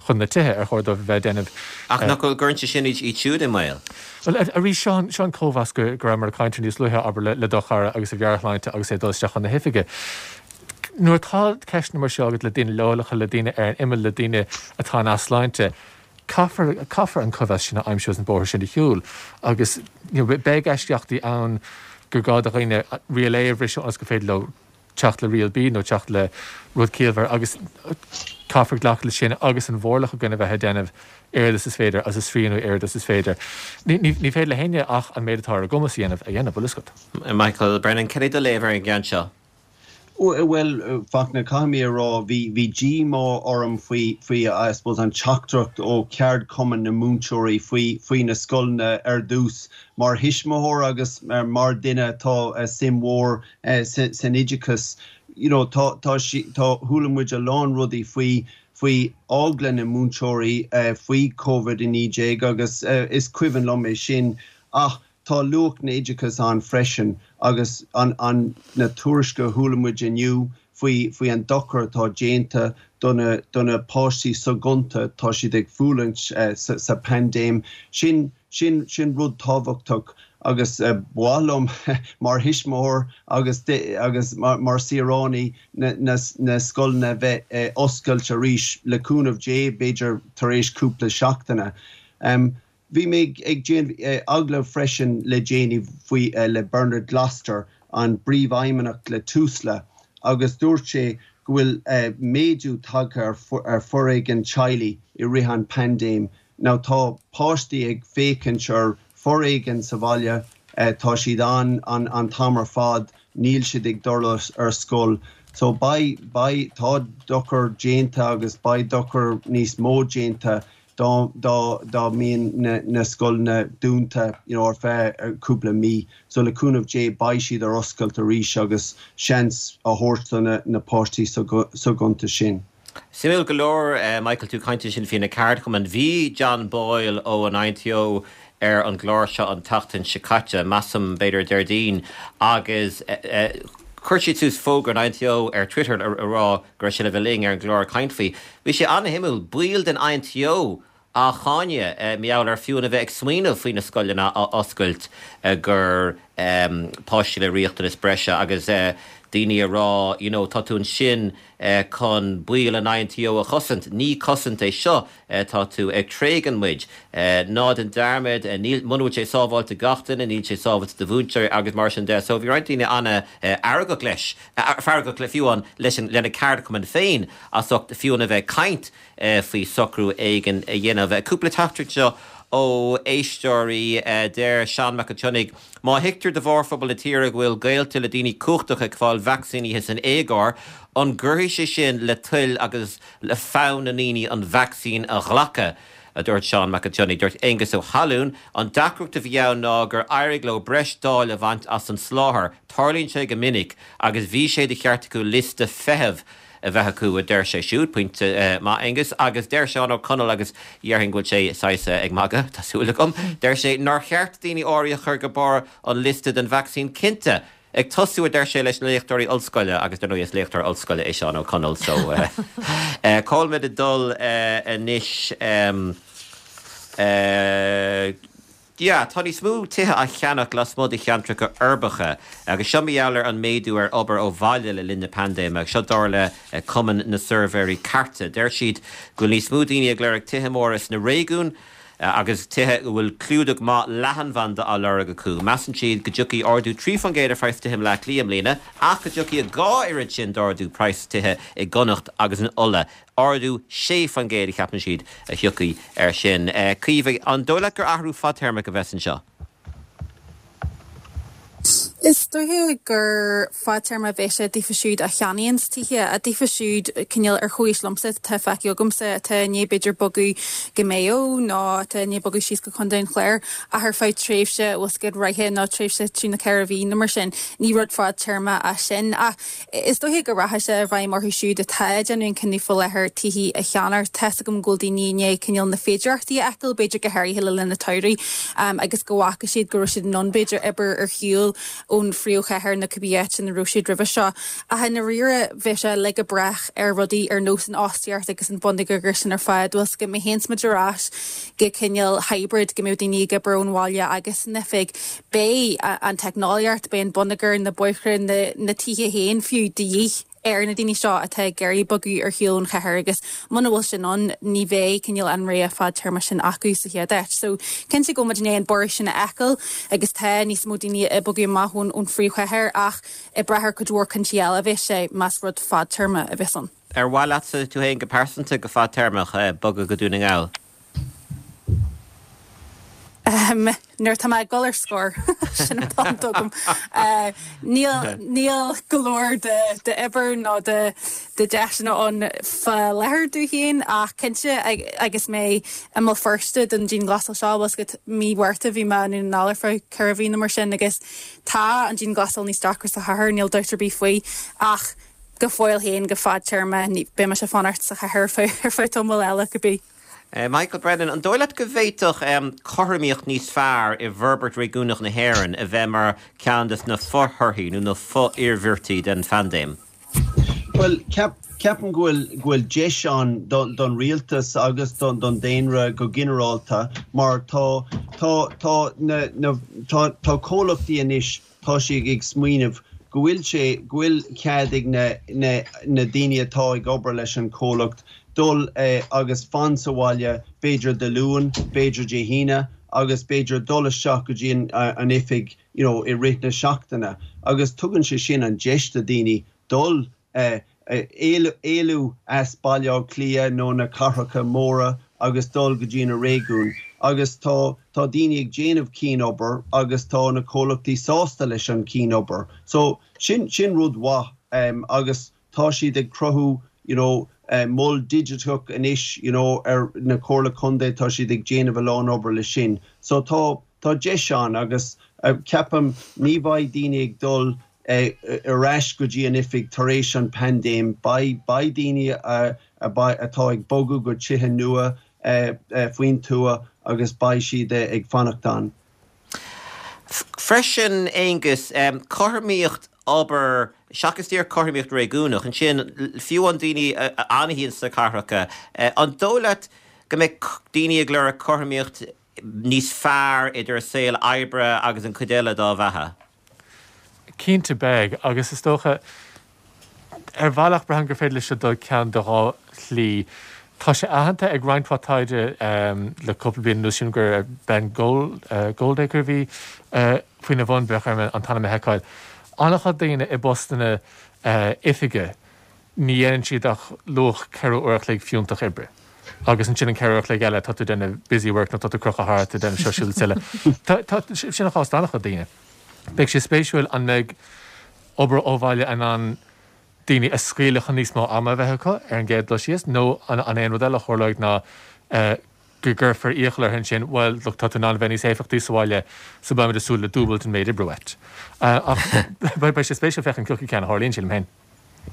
chun na tithe, ar chóir dóibh a bheith ag déanamh. Ach nach gcuireann sé sin iad siúd i mbaol? Bhuel, arís, seo an, seo an cóimheas go, go rabhamar ag caint air níos luaithe, abair, le, le do chara agus a mheabhairshláinte agus é ag dul isteach chun na hoifige. Nuair atá ceisteanna mar seo agat le daoine leochaileacha, le daoine ar an imeall, le daoine atá in easláinte, caithfear, caithfear an cóimheas sin a aimsiú agus an bóthar sin a shiúl. Agus you know beidh eisceachtaí ann gur gá do dhaoine riail A a bhriseadh ionas gur féidir leo teacht le riail B nó teacht le rud ciallmhar agus caithfear glacadh leis sin agus an mhórlach againn a bheith ag déanamh oiread is is féidir agus ag srianú oiread is is féidir. Ní, ní, ní féidir le héinne ach an méid atá ar a gcumas a dhéanamh a dhéanamh, bhfuil fhios agat. Michael Brennan, cad é do léamh ar an gceann seo? Bhuel, Fachtna, caithfidh mé a rá, bhí, bhí díomá orm faoi, faoi, I suppose, an teachtaireacht ó cheardchumann na múinteoirí faoi, faoi na scoileanna ar dtús. Mar thuismitheoir agus mar duine atá suim mhór san oideachas, you know, tá, tá, tá, chuala muid a lán rudaí faoi, faoi eagla na múinteoirí faoi Covid-19 agus is cuimhin liom é sin ach tá luach na oideachas ann freisin agus an, an, na tuairiscí a chuala muid inniu faoi, faoi an dochar atá déanta do na, do na páistí soghonta, tá siad ag fulaingt sa, sa paindéim, sin, Sin, sin rud tábhachtach agus ba mhaith liom mar thuismitheoir agus agus mar saoránaí na, na, na scoileanna a bheith oscailte arís, le cúnamh Dé, b'fhéidir tar éis cúpla seachtaine. Bhí mé ag déanamh agallamh freisin le déanaí faoi, le Bernard Gloster, an bPríomhfheidhmeannach le Tusla, agus dúirt sé go bhfuil méadú tagtha ar foréigean teaghlaigh i rith an paindéim. Now tá páistí ag féachaint ar foréigean sa bhaile, tá siad ann an t-am ar fad, níl siad ag dul ar scoil. So beidh, beidh, tá dochar déanta agus beidh dochar níos mó déanta dá, dá, dá mbíonn na, na scoileanna dúnta you know ar feadh cúpla mí. So le cúnamh Dé beidh siad ar oscailt arís agus seans a thabhairt do na, na páistí soghonta sin. Suimiúil go leor, Michael, tú ag caint ansin faoi na ceardchumainn. Bhí John Boyle ó an INTO ar an gclár seo an tseachtain seo caite, measaim, b'fhéidir Déardaoin, agus chuir siad suas fógra an INTO ar Twitter a rá go raibh sé le bheith linn ar an gclár ag caint faoi. Bhí sé an-shuimiúil, baill den INTO á cháineadh mar gheall ar fiú a bheith ag smaoineamh faoi na scoileanna a oscailt do pháistí le riachtanas breise agus daoine a rá you know tá tú ansin chun baill an INTO a chosaint, ní cosaint é seo, tá tú ag tréigean muid. Ná déan dearmad, níl, muna bhfuil sé sábháilte do gach duine, níl sé sábháilte do mhúinteoirí agus mar sin de. So bhí roinnt daoine an-fheargach leis, feargach le fiú amháin leis an, lena ceardchumann féin as ucht fiú amháin a bheith ag caint faoi socrú éigin a dhéanamh. Cúpla teachtaireacht anseo ó éisteoirí. Deir Seán Mac an tSionnaigh, Má thuigtear do mhórphobal na tíre go bhfuil gaolta le daoine cumhachtacha ag fáil vacsaínithe san éagóir, an gcuirfidh sé sin le toil agus le fonn na ndaoine an vacsaín a ghlacadh? a dúirt Seán Mac an tSionnaigh. Dúirt Aengus Ó hAlúin, An deacracht a bhí ann ná gur éirigh leo breis dáil a bhaint as an soláthar. Tarlaíonn sé go minic agus bhí sé de cheart acu liosta feithimh a bheith acu, a deir sé siúd. Pointe maith, Aengus. Agus deir Seán Ó Conaill, agus dhéarfainn go bhfuil sé saghas ag magadh, tá súil agam, deir sé nár cheart daoine áirithe a chur go barr an liosta don vacsaín cinnte. Ag tosú, a deir sé, leis na léachtóirí ollscoile, agus dar ndóigh is léachtóir ollscoile é Seán Ó Conaill, so cá bhfuil muid ag dul anois? Yeah, tá níos mó tithe á cheannach lasmuigh de cheantracha uirbeacha agus seo mar gheall ar an méadú ar obair ó bhaile le linn na paindéime agus seo dar le Cumann na Suirbhéirí Cairte. Deir siad go bhfuil níos mó daoine ag lorg tithe móra sna réigiúin agus tithe a bhfuil clúdach maith leathanbhanda á lorg acu. Measann siad go dtiocfaidh ardú 3% ar phraghas tithe i mBleá Cliath i mbliana ach go dtiocfaidh a 2 oiread sin d'ardú praghas tithe i gConnacht agus in Ulaidh. Ardú 6% a cheapann siad a thiocfaidh air sin. Caoimhe, an dóigh leat gur athrú fadtéarmach a bheas anseo? Is dóiche gur fadtéarma a bheas sé daofa siúd a cheannaíonns tithe, daofa siúd cineál ar chomhaois liomsa atá feicthe agamsa atá i ndiaidh b'fhéidir bogadh go Maigh Eo nó atá i ndiaidh bogadh síos go Contae an Chláir ach ar feadh tréimhse bhfuil 's agat ráithe nó tréimhse trí nó 4 mhí nó mar sin. Ní rud fadtéarma é sin ach Is dóiche go rachaidh sé i bhfeidhm orthu siúd atá ag déanamh an cinneadh faoi láthair tithe a cheannacht. Tá's agam go bhfuil daoine i ndiaidh cineál na féidearthachtaí a fheiceáil, b'fhéidir go háirithe le linn an tsamhraidh, agus go bhfaca siad go raibh siad in ann b'fhéidir obair ar shiúl ón phríomhchathair nó cibé áit ina raibh siad roimhe seo. Ach i ndáiríre, bheadh sé uilig ag brath ar rudaí ar nós an fhostaíocht agus an bonneagar sin ar fad. Bhfuil 's agat, má théanns muid ar ais go cineál hybrid, go mbeadh daoine ag obair ón bhaile agus san oifig, Beidh an teicneolaíocht, beidh an bonneagar, na bóithre, na tithe féin fiú, de dhíth ar na daoine seo atá ag iarraidh bogadh ar shiúl ón chathair agus muna bhfuil sin ann ní bheidh cineál an rogha fadtéarma sin acu sa chéad áit. So cinnte go bhfuil muid i ndiaidh an borradh sin a fheiceáil agus tá níos mó daoine ag bogadh amach ón ón phríomhchathair ach ag brath ar cuid mhór cúinsí eile a bheas sé más rud fadtéarma a bheas ann. Ar mhaith leatsa, tú féin go pearsanta, go fadtéarmach, bogadh go Dún na nGall? Nuair atá mé ag dul ar scor, sin an t-am agam. Níl, níl go leor de, d'obair nó de, de deiseanna ann fá láthair domh féin ach cinnte agus mé i mBéal Feirste don dianghlasáil seo, bhfuil 's agat, mí Mhárta bhí mé i nDún na nGall ar feadh 4 mhí nó mar sin agus tá an dianghlasáil níos deacra sa chathair, níl dabht ar bith faoi ach go fóill féin go fadtéarma beidh mise ag fanacht sa chathair ar feadh tamall eile cibé. Michael Brennan, an dóigh leat go bhféadfadh cothromaíocht níos fearr i bhforbairt réigiúnach na hÉireann a bheith mar cheann de na fo-thorthaí nó na fo-iarmhairtí den phaindéim? Bhuel, ceapaim go bhfuil, go bhfuil deis ann don rialtas agus don daonra go ginearálta mar tá, tá, tá na, na, tá, tá comhlachtaí anois, tá siad ag smaoineamh go bhfuil sé, go bhfuil cead ag na, na, na daoine atá ag obair leis an chomhlacht dul agus fan sa bhaile b'fhéidir Dé Luain, b'fhéidir Dé hAoine agus b'fhéidir dul isteach go dtí an, an oifig you know i rith na seachtaine agus tugann sé sin an deis do daoine dul éalú as Baile Átha Cliath nó na cathracha móra agus dul go dtí na réigiúin agus tá tá daoine ag déanamh cian-obair agus tá na comhlachtaí sásta leis an cian-obair. So sin sin rud mhaith agus tá siad ag cruthú you know mol digiteach anois you know ar na Comhairle Contae tá siad ag déanamh a lán obair leis sin. So tá tá deis ann agus ceapaim ní bheidh daoine ag dul ar ais go dtí an oifig tar éis an paindéim. Beidh beidh daoine atá ag bogadh go tithe nua faoin tuath agus beidh siad ag fanacht ann. Freisin, Aonghus, cothromaíocht obair, seachas díreach cothromaíocht réigiúnach, ansin, fiú an daoine a fhanfaidh sna cathracha, an dóigh leat go mbeidh daoine ag lorg cothromaíocht níos fearr idir a saol oibre agus an chuid eile dá bheatha? Cinnte beidh, agus is dócha, ar bhealach, braithim gur féidir leis seo dul ceann de dhá shlí. Tá sé aitheanta ag roinnt mhaith taighde le cúpla bliain anuas, sílim gur Ben Goldacre a bhí faoina bhun, bheadh orm an t-ainm a sheiceáil. An-chuid daoine i bpostanna oifige, ní dhéanann siad ach luach 4 uair a chloig fiúntach oibre. Agus ansin an 4 uair a chloig eile, tá tú ag déanamh busy work nó tá tú ag crochadh thart, ag déanamh seo, siúd is eile. Tá, sin an chás d'an-chuid daoine. Beidh sé spéisiúil an mbeidh obair ó bhaile in ann daoine a scaoileadh chun níos mó ama a bheith acu ar an gcéad dul síos nó an é an rud eile a tharlóidh ná go gcuirfear iachall orthu ansin, bhuel, look, tá tú in ann a bheith níos éifeachtaí sa bhaile so beimid ag súil le dúbailt an méid oibre uait. Ach beidh sé spéisiúil féachaint cén ceann a tharlaíonn, sílim féin.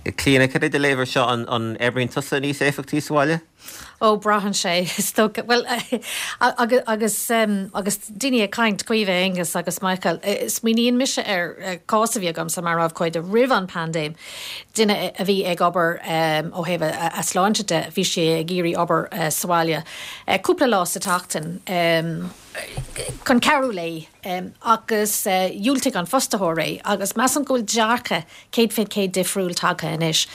Clíona, cad é do léamh ar seo? An oibríonn tusa níos éifeachtaí sa bhaile? Ó, braitheann sé, is dócha. Bhuel, agus agus daoine ag caint, Caoimhe, Aonghus agus Michael, smaoiníonn mise ar cás a bhí agamsa mar abhcóide roimh an paindéim, duine a bhí ag obair ó thaobh a sláinte de, bhí sé ag iarraidh obair sa bhaile cúpla lá sa tseachtain chun cabhrú léi agus dhiúltaigh an fostaitheoir é agus measaim go bhfuil dearcadh 100% difriúil tagtha anois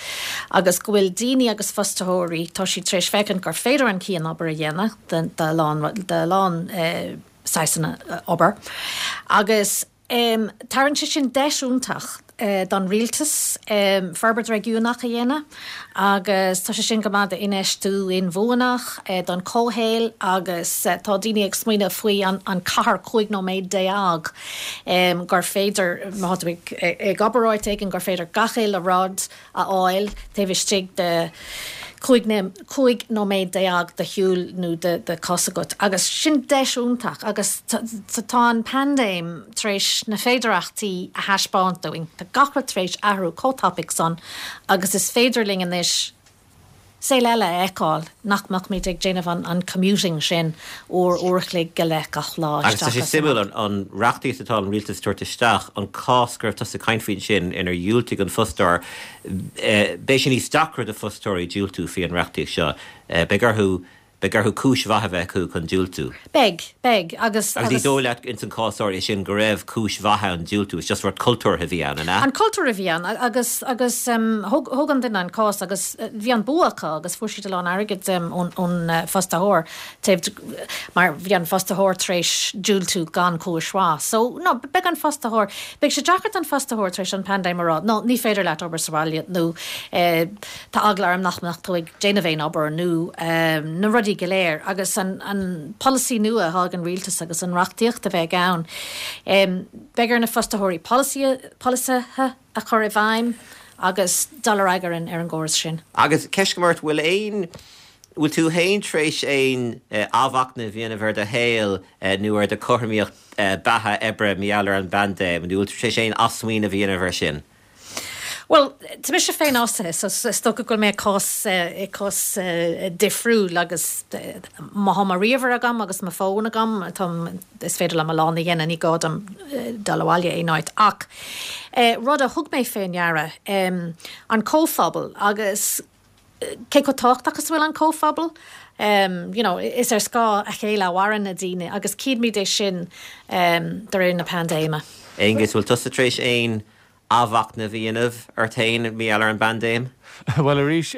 agus go bhfuil daoine agus fostaitheoirí, tá siad tar éis féachaint gur féidir an cian-obair a dhéanamh de a lán saghsanna obair agus tabharann sé sin deis iontach don rialtas forbairt réigiúnach a dhéanamh agus tá sé sin go maith d'infheistiú inbhuanach, don chomhshaol agus tá daoine ag smaoineamh faoi an cathair 15 nóiméad gur féidir, má tá tú ag obair áit éigin, gur féidir gach uile rud a fháil taobh istigh de 15 nóiméad de shiúl nó de chos agat. Agus sin deis iontach agus tá an paindéim tar éis na féidearthachtaí a thaispeáint dúinn. Tá gach rud tar éis athrú chomh tapaidh san agus is féidir linn anois saol eile a fheiceáil, nach mbeimid ag déanamh an commuting sin uair, uair a chloig go leith gach lá Agus tá sé isteach as suimiúil, amach. an reachtaíocht atá an rialtas ag tabhairt isteach, an cás go raibh tusa ag caint faoi ansin inar dhiúltaigh an fostóir, beidh sé níos deacra do fostóirí diúltú faoi an reachtaíocht seo. Beidh orthu. Beidh orthu cúis mhaith a bheith acu chun diúltú. Beidh, beidh, agus, Agus ní dóigh leat ins an cás áirithe sin go raibh cúis mhaith ann diúltú, is just rud cultúrtha a bhí ann, an ea? An cultúr a bhí ann, agus, agus thóg, thóg an duine an cás agus bhí an bua acu agus fuair siad a lán airgid ón, ón fostaitheoir taobh, mar bhí an fostaitheoir tar éis diúltú gan cúis mhaith. So, no, beidh an fostaitheoir, beidh sé deacair don fostaitheoir tar éis an paindéim a rá, no, ní féidir leat obair sa bhaile nó eh, Tá eagla orm nach mbeadh tú ag déanamh aon obair nó na rudaí go léir agus an polasaí nua atá ag an rialtas agus an reachtaíocht a bheidh ann. Beidh ar na fostaitheoirí polasaithe a chur i bhfeidhm agus dul ar aghaidh ar an ar an gcóras sin. Agus ceist agam ort, bhfuil aon, bhfuil tú féin tar éis aon athmhachnamh a dhéanamh ar do shaol nó ar do chothromaíocht beatha oibre mar gheall ar an bpaindéim nó bhfuil tú tar éis aon athsmaoineamh a dhéanamh air sin? Bhuel, tá mise féinfhostaithe so is dócha go bhfuil mé i gcás, i gcás difriúil agus má tá mo ríomhaire agam agus mo fón agam, táim, is féidir liom a lán a dhéanamh, ní gá dom dul abhaile aon áit. Ach rud a thug mé fé ndeara, an comhphobal agus cé chomh tábhachtach is a bhfuil an comhphobal, you know, is ar scáth a chéile a mhaireann na daoine agus címid é sin de réir na paindéime. Aonghus, bhfuil tusa tar éis aon athmhachnamh a dhéanamh ort féin mar gheall ar an bpaindéim? Bhuel, arís,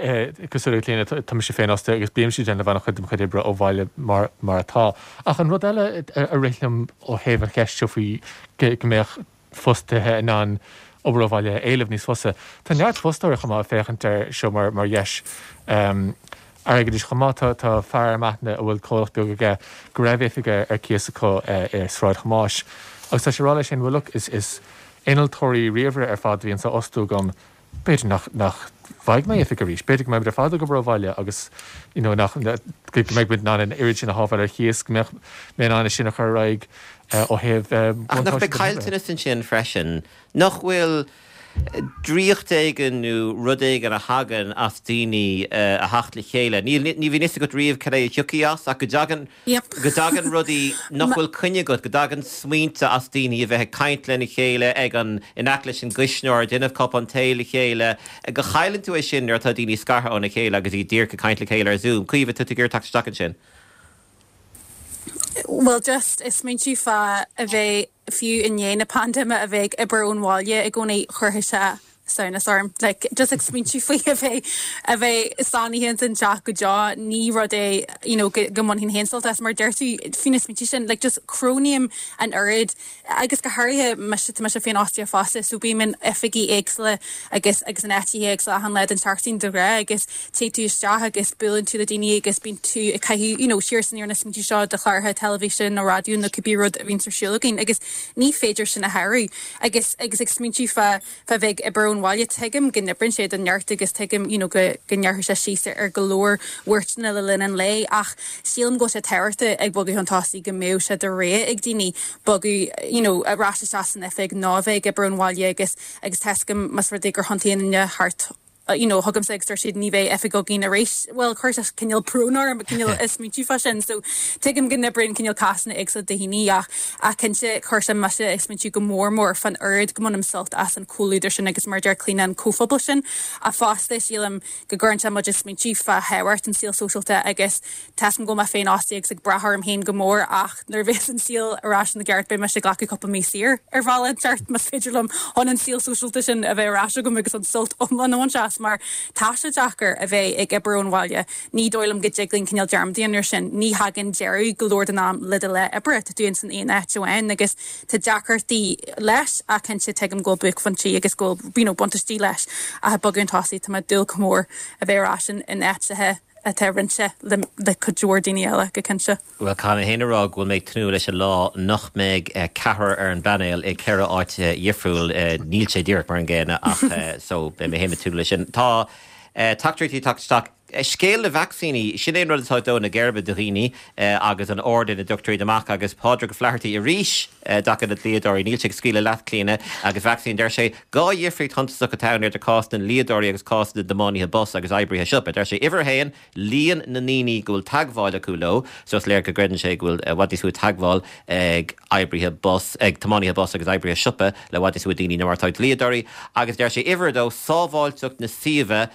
cosúil le Clíona, tá mise féinfhostaithe agus bímse ag déanamh an-chuid de mo chuid oibre ó bhaile mar mar atá. Ach an rud eile a rith liom ó thaobh an cheist seo faoi go mbeadh fostaithe in ann obair ó bhaile a éileamh níos fusa. Tá neart fostóirí chomh maith ag féachaint air seo mar dheis airgeadais chomh maith. Tá fear i m'aithne a bhfuil comhlacht beag aige go raibh oifig ar cíos acu i Sráid Thomáis agus tá sé ag rá leis féin, bhuel look, is innealtóirí ríomhaire ar fad a bhíonns á fhostú agam, b'fhéidir nach nach bhfaighidh mé oifig arís, b'fhéidir go mbeidh muid ar fad ag obair ó bhaile agus you know nach go mbeidh muid in ann an oiread sin a shábháil ar chíos, go mbeadh mé in ann é sin a chur ar aghaidh ó thaobh Ach nach mbeidh caillteanas ansin freisin? Nach bhfuil draíocht éigin nó rud éigin a thagann as daoine a theacht le chéile? Níl, ní bhíonn fhios agat riamh cad é a thiocfaidh as ach go dtagann go dtagann rudaí nach bhfuil coinne agat, go dtagann smaointe as daoine a bheith ag caint lena chéile ag an, in aice leis an gcuisneoir, ag déanamh cupán tae le chéile, go chailleann tú é sin nuair atá daoine scartha óna chéile agus iad díreach ag caint le chéile ar Zoom. Caoimhe, tá tú ag iarraidh teacht isteach ansin. Bhuel, just ag smaointiú fá a bheith, fiú i ndiaidh na paindéime, a bheith ag obair ón bhaile i gcónaí, chuirfeadh sé samhnas orm. Like, just ag smaointiú faoi a bheith, a bheith sáinnithe ins an teach go deo, ní rud é, you know, go, go mbainfinn féin sult as. Mar deir tú, faoi na smaointe sin, like, just cronaím an oiread, agus go háirithe mise, tá mise féinfhostaithe fosta, so bím in oifigí éagsúla agus, agus in áiteacha éagsúla achan lá den tseachtain de ghnáth agus téann tú isteach agus buaileann tú le daoine agus bíonn tú ag caitheamh, you know, siar is aniar na smaointe seo do chláracha teilifíse nó raidió nó cibé rud a bhíonns ar siúl againn agus ní féidir sin a shárú. Agus, agus ag smaointiú fá, fá bheith ag obair ón bhaile, tuigim go n-oibríonn sé do neart agus tuigim, you know, go, go ngearrfaidh sé síos ar go leor buairteanna le linn an lae ach sílim go bhfuil sé tábhachtach ag bogadh chun tosaigh go mbeadh sé de rogha ag daoine bogadh, you know, ar ais isteach san oifig nó a bheith ag obair ón bhaile agus, agus tá 'fhios agam más rud é gur thiontaigh aon duine thart you know, chugamsa agus dúirt siad ní bheidh oifig againn arís. Bhuel, chuir sé cineál brón orm, cineál ag smaointiú fá sin. So, tuigim go n-oibríonn cineál cásanna éagsúla do dhaoine ach, ach cinnte, chuir sé mise ag smaointiú go mór mór fán oiread go mbainim sult as an chomhluadar sin agus mar a deir Clíona, an comhphobal sin. Ach fosta, sílim go gcuireann sé muid ag smaointiú fá thábhacht an saol sóisialta agus Tá 'fhios agam go bhfuil mé féinfhostaithe agus ag brath orm féin go mór ach nuair a bheas an saol ar ais ina gceart beidh mise ag glacadh cúpla mí saor ar bhealach inteacht más féidir liom chun an saol sóisialta sin a bheith ar ais agam agus an sult iomlán a bhaint as mar tá sé deacair a bheith ag obair ón bhaile. Ní dóigh liom go dtig linn cineál dearmad a dhéanamh ar sin. Ní thagann deireadh go leor den am le do lá oibre, tá tú ins an aon áit amháin agus tá deacrachtaí leis ach cinnte tuigim go bhfuil buaicphointí agus go bhfuil you know buntáistí leis ach ag bogadh chun tosaigh tá mé ag dúil go mór a bheith ar ais in áiteacha atá roinnte le cuid mhór daoine eile, go cinnte. Bhuel, caithfidh mé féin a rá go bhfuil mé ag tnúth leis an lá nach mbeidh ceathrar ar an bpainéal i gceithre áit dhifriúil. Níl sé díreach mar an gcéanna ach so beidh mé féin ag tnúth leis sin. Tá teachtaireachtaí ag teacht isteach. Scéal na vacsaíní, sin é an rud atá ag dó na geirbe do dhaoine agus an ord ina dtugtar iad amach agus Pádraig Ó Flathartaigh arís i dtaca le dlíodóirí. Níl sé ag scaoileadh leat, Clíona, agus vacsaín. Deir sé, Dhá dhifríocht shuntasach atá ann idir cás na ndlíodóirí agus cás na dtiománaithe bus agus oibrithe siopa. Deir sé, uimhir a haon, líon na ndaoine go bhfuil teagmháil acu leo, so is léir go gcreideann sé go bhfuil i bhfad níos mó teagmháil ag oibrithe bus, ag tiománaithe bus agus oibrithe siopa le i bhfad níos mó daoine ná mar atá ag dlíodóirí. Agus deir sé, uimhir a dó, sábháilteacht na suíomha.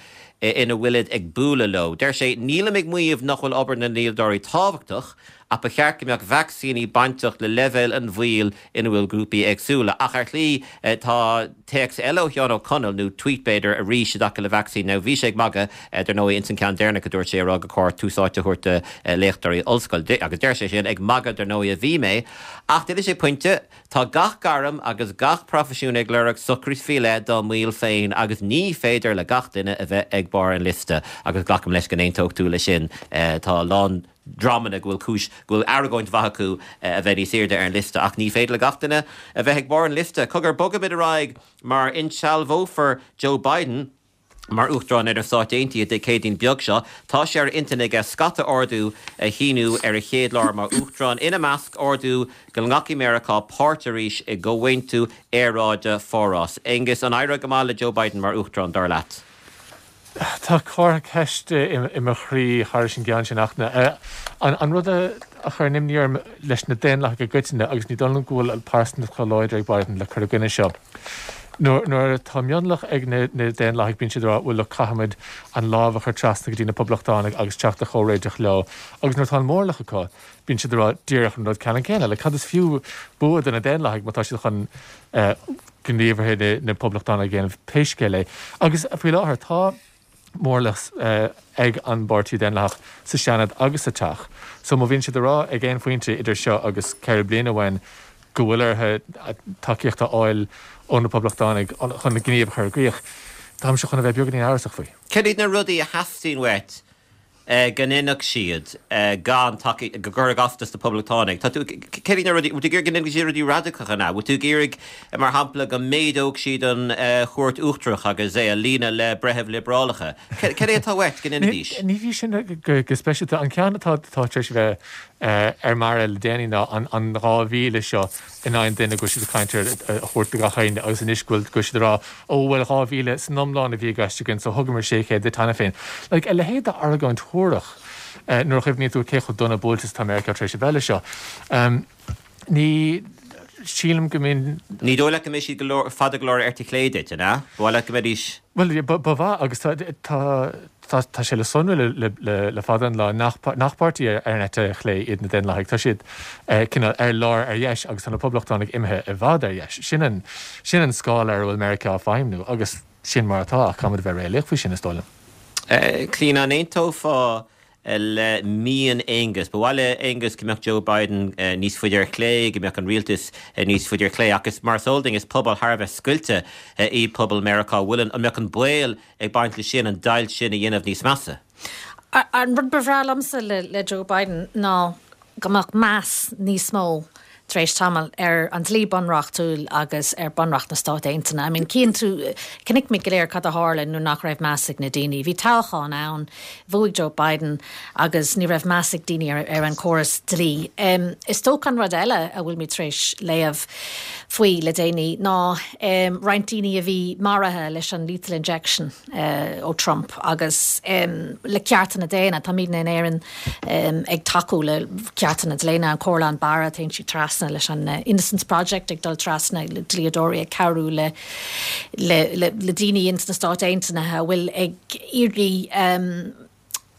ina bhfuilid ag bualadh leo. Deir sé, Nílim ag maíomh nach bhfuil obair na ndlíodóirí tábhachtach, ach ba cheart go mbeadh vacsaíní bainteach le leibhéal an bhaoil ina bhfuil grúpaí éagsúla. Ach ar shlí, tá téacs eile ó Sheán Ó Conaill, nó tweet b'fhéidir, arís i dtaca le vacsaín. Now bhí sé ag magadh, dar ndóigh, ins an ceann deireanach a dúirt sé, ag rá gur chóir tús áite a thabhairt do léachtóirí ollscoile. Agus deir sé sin, ag magadh dar ndóigh a bhí mé. Ach déanann sé pointe. Tá gach gairm agus gach proifisiún ag lorg socrú faoi leith dá mbaill féin agus ní féidir le gach duine a bheith ag barr an liosta agus glacaim leis go n-aontódh tú leis sin. Tá a lán dreamanna go bhfuil cúis, go bhfuil argóint mhaith acu a bheith níos airde ar an liosta ach ní féidir le gach duine a bheith ag barr an liosta. Cogar, bogfaimid ar aghaidh mar insealbhófar Joe Biden. Mar Uachtarán ar na Stáit Aontaithe Dé Céadaoin beag seo, tá sé ar intinn aige scata ordú a shíniú ar a chéad lá mar Uachtarán, ina measc ordú go nglacfaidh Meiriceá páirt arís i gComhaontú Aeráide Pháras. Aengus, an éireoidh go maith le Joe Biden mar Uachtarán, dar leat? Tá comhartha ceiste i mo chroí thairis an gceann sin ach an rud a chuireann imní orm leis na Daonlathaigh i gcoitinne, agus ní dóigh liom go bhfuil pearsantacht chomh láidir ag Biden le cur i gcoinne seo, Nuair atá mionlach ag na Daonlathaigh bíonn siad ag rá bhuel look caithfimid an lámh a chur trasna go dtí na Poblachtánaigh agus teacht ar chomhréiteach leo agus nuair atá an mórlach acu bíonn siad ag rá díreach an rud ceannann céanna. Like cad is fiú bua do na Daonlathaigh má tá siad chun gníomhartha na Poblachtánaigh a dhéanamh pé scéal é. Agus faoi láthair tá. mórlach ag an bPáirtí Daonlathach sa Seanad agus sa Teach. So má bhíonn siad ag rá ag aon phointe idir seo agus 4 bliana uainn go bhfuil orthu tacaíocht a fháil ó na Poblachtánaigh chun na gníomh a chur i gcrích, táimse chun a bheith beagáinín amhrasach faoi. Cad iad na rudaí a theastaíonn uait go ndéanfadh siad gan tacaíocht, go gcuirfeadh as dos na Poblachtánaigh? Tá tú, céard iad na rudaí, bhfuil tú ag iarraidh go ndéanfaidh siad rudaí radacacha, an ea? Bhfuil tú ag iarraidh, mar shampla, go méadódh siad an Chúirt Uachtarach agus é a líonadh le breithimh liobrálacha? Cad é atá uait go ndéanfaidís? Ní hí sin go speisialta. An ceann atá tar éis a bheith ar m'aire le déanaí ná an 2,000 seo in aghaidh an duine go bhfuil siad ag caint air a thabhairt do gach éinne agus anois go bhfuil siad ag rá ó bhuel 2,000 san iomlán a bhí i gceist againn so thugamar 600 duit cheana féin. Like, a leithéid d'argóint shuarach nuair a chuimhníonn tú cé chomh dona buailte is atá Meiriceá tar éis a bheith le seo. Ní sílim go mbíonn. Ní dóigh leat go mbeidh siad go leor, fada go leor ar eite chlé duit, an ea? Ba mhaith leat go mbeidís. Bhuel, ba mhaith agus tá, tá. Tá sé le sonrú le fada an lá nach páirtí ar an eite chlé iad na Daonlathaigh. Tá siad cineál ar lár ar dheis agus tá na Poblachtánaigh imithe i bhfad ar dheis. Sin an sin an scála ar a bhfuil Meiriceá ag feidhmniú agus sin mar atá ach caithfimid a bheith réalaíoch faoi sin, is dóigh liom. Clíona, an aontófá le mian Aonghus? Ba mhaith le Aonghus go mbeadh Joe Biden níos faide ar chlé, go mbeadh an rialtas níos faide ar chlé ach is mar is eol dúinn is pobal thar a bheith scoilte iad pobal Meiriceá. Bhfuil an an mbeadh an baol ag baint leis sin, an deighilt sin a dhéanamh níos measa. An rud ba bhreá liomsa le Joe Biden ná go mbeadh meas níos mó tar éis tamaill ar an dlí bunreachtúil agus ar Bunreacht na Stát Aontaithe. I mean, cíonn tú, chonaic muid go léir cad a tharla nuair nach raibh meas ag na daoine. Bhí toghchán ann, bhuaigh Joe Biden agus ní raibh meas ag daoine ar, ar an córas dlí. Is dócha an rud eile a bhfuil muid tar éis léamh faoi le déanaí ná roinnt daoine a bhí maraithe leis an lethal injection ó Trump agus le cearta na daonna. Táimidne in Éirinn ag tacú le cearta na daonna, an Comhairle Barra, téann siad trasna leis an Innocence Project ag dul trasna le dlíodóirí ag cabhrú le le le daoine ins na Stáit Aontaithe a bhfuil ag iarraidh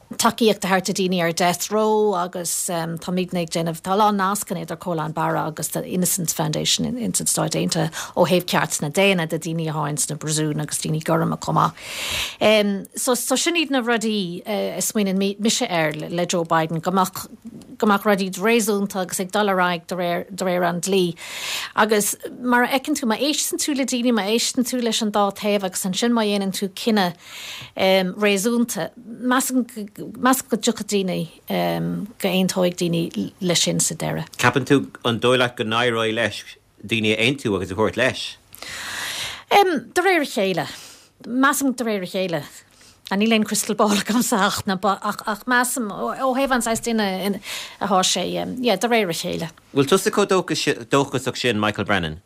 tacaíocht a thabhairt do daoine ar death row agus táimidne ag déanamh, tá a lán nascanna idir Comhairle Barra agus the Innocence Foundation ins an Stáit Aontaithe ó thaobh cearta na daonna do daoine atá ins na bpríosúin agus daoine gorma chomh maith. So so sin iad na rudaí a smaoineann mise air le Joe Biden, go mbeadh go mbeadh rudaí réasúnta agus ag dul ar aghaidh de réir de réir an dlí. Agus mar a fheiceann tú, má éisteann tú le daoine, má éisteann tú leis an dá taobh agus ansin má dhéanann tú cinneadh réasúnta. Measaim go dtiocfaidh daoine, go aontóidh daoine leis sin sa deireadh. Ceapann tú, an dóigh leat go n-éireoidh leis daoine a aontú agus a thabhairt leis? De réir a chéile. Measaim de réir a chéile. Níl aon crystal ball agamsa ach, ach measaim ó thaobh an saghas duine atá sé, yeah, de réir a chéile. Bhfuil tusa chomh dóchasach sin, Michael Brennan?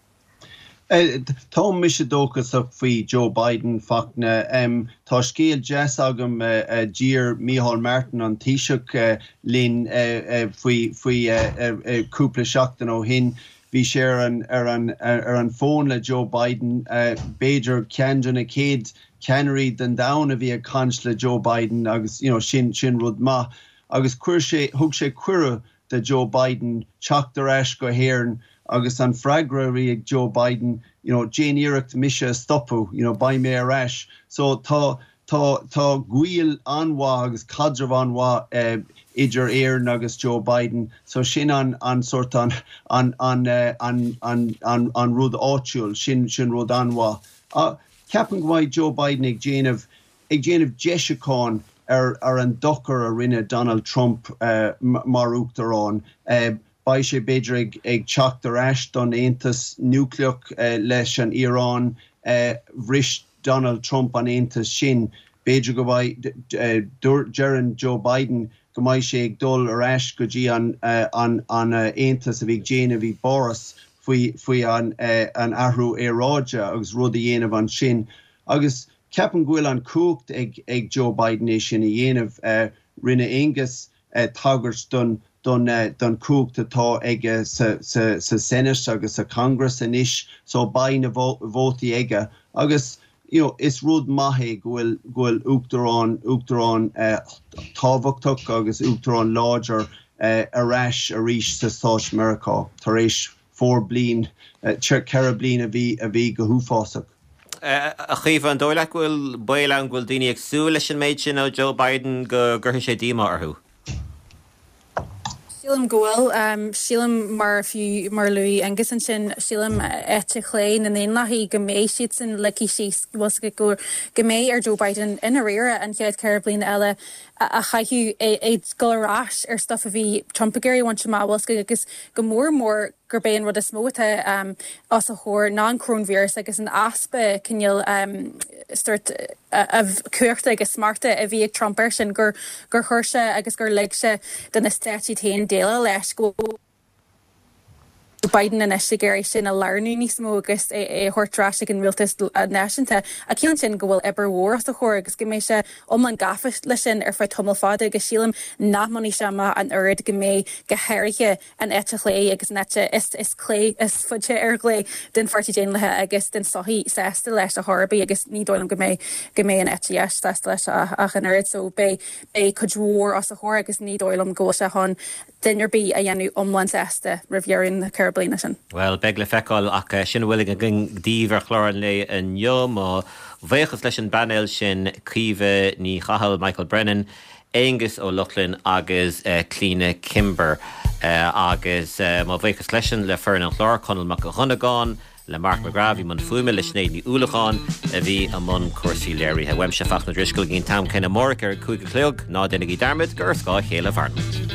Tá mise dóchasach faoi Joe Biden, Fachtna. Tá scéal deas agam. D'iarr Micheál Martin, an Taoiseach, linn faoi faoi cúpla seachtain ó shin. Bhí sé ar an ar an ar an bhfón le Joe Biden, b'fhéidir ceann de na chéad. ceannairí den domhan a bhí ag caint le Joe Biden agus you know sin sin rud maith agus chuir sé thug sé cuireadh do Joe Biden teacht ar ais go hÉirinn agus an freagra a bhí ag Joe Biden you know déan iarracht mise a stopadh you know beidh mé ar ais so tá tá tá gaol an-mhaith agus caidreamh an-mhaith idir Éirinn agus Joe Biden so sin an an sort an an an an an an an rud áitiúil sin sin rud an-mhaith. Ceapaim go mbeidh Joe Biden ag déanamh ag déanamh deisiúcháin ar ar an dochar a rinne Donald Trump mar uachtarán. Beidh sé b'fhéidir ag ag teacht ar ais don aontas núicléach leis an Iaráin. Bhris Donald Trump an aontas sin. B'fhéidir go mbeidh, deireann Joe Biden go mbeidh sé ag dul ar ais go dtí an an an aontas a bhí ag déanamh i bPáras faoi faoi an an athrú aeráide agus rud a dhéanamh ansin. Agus ceapaim go bhfuil an cumhacht ag ag Joe Biden é sin a dhéanamh. Rinne Aengus tagairt don don don chumhacht atá aige sa sa sa Senate agus sa Congress anois so beidh na vótaí aige agus you know is rud maith é go bhfuil go bhfuil uachtarán uachtarán tábhachtach agus uachtarán láidir ar ais arís sa Stáit Meiriceá tar éis 4 bliain, 4 bliain a bhí a bhí go huafásach. A Chaoimhe, an dóigh leat go bhfuil baol ann go bhfuil daoine ag súil leis an méid sin ó Joe Biden go gcuirfidh sé díomá orthu? Sílim go bhfuil. Sílim, mar fiú mar a luaigh Aengus ansin, sílim eite chlé na nDaonlathaí go mbeidh siadsan ligthe síos, bhfuil 's agat, go go mbeidh ar Joe Biden i ndáiríre an chéad cheithre bliana eile a chaitheamh ag dul ar ais ar stuff a bhí Trump ag iarraidh a bhaint amach, bhfuil 's agat, agus go mór mór gurb é an rud is mó atá os a chomhair ná an coróinvíreas agus an easpa cineál sórt cumhachta agus smachta a bhí ag Trump air sin, gur chuir sé agus gur lig sé do na stáit iad féin déileáil leis, go bhfuil Biden anois ag iarraidh sin a lárnú níos mó agus é a thabhairt ar ais ag an rialtas náisiúnta. Ach ciallaíonn sin go bhfuil obair mhór os a chomhair agus go mbeidh sé iomlán gafa leis sin ar feadh tamall fada agus sílim nach mbainfidh sé amach an oiread go mbeidh, go háirithe, an eite chlé agus an eite is clé is faide ar chlé den Pháirtí Daonlathach agus den tsochaí sásta leis ar chor ar bith agus ní dóigh liom go mbeidh go mbeidh an eite dheis sásta leis ach an oiread so beidh beidh cuid mhór os a chomhair agus ní dóigh liom go bhfuil sé chun duine ar bith a dhéanamh iomlán sásta roimh dheireadh na ceithre bliana sin. Bhuel, beidh le feiceáil ach sin a bhfuil againn daoibh ar chlár an lae inniu. Mo bhuíochas leis an bpainéal sin, Caoimhe Ní Chathail, Michael Brennan, Aengus Ó Lochlainn agus Clíona Kimber. Agus mo bhuíochas freisin le foireann an chláir, Conall Mac Dhonnagáin, le Mark McGrath a bhí i mbun fuaime, le Sinéad Ní Uallacháin a bhí i mbun cúrsaí léirithe. Uaimse, Fachtna Ó Drisceoil, go dtí an t-am céanna amárach ar a 5 a chlog, ná déanaigí dearmad gur ar scáth a chéile a mhaireann muid.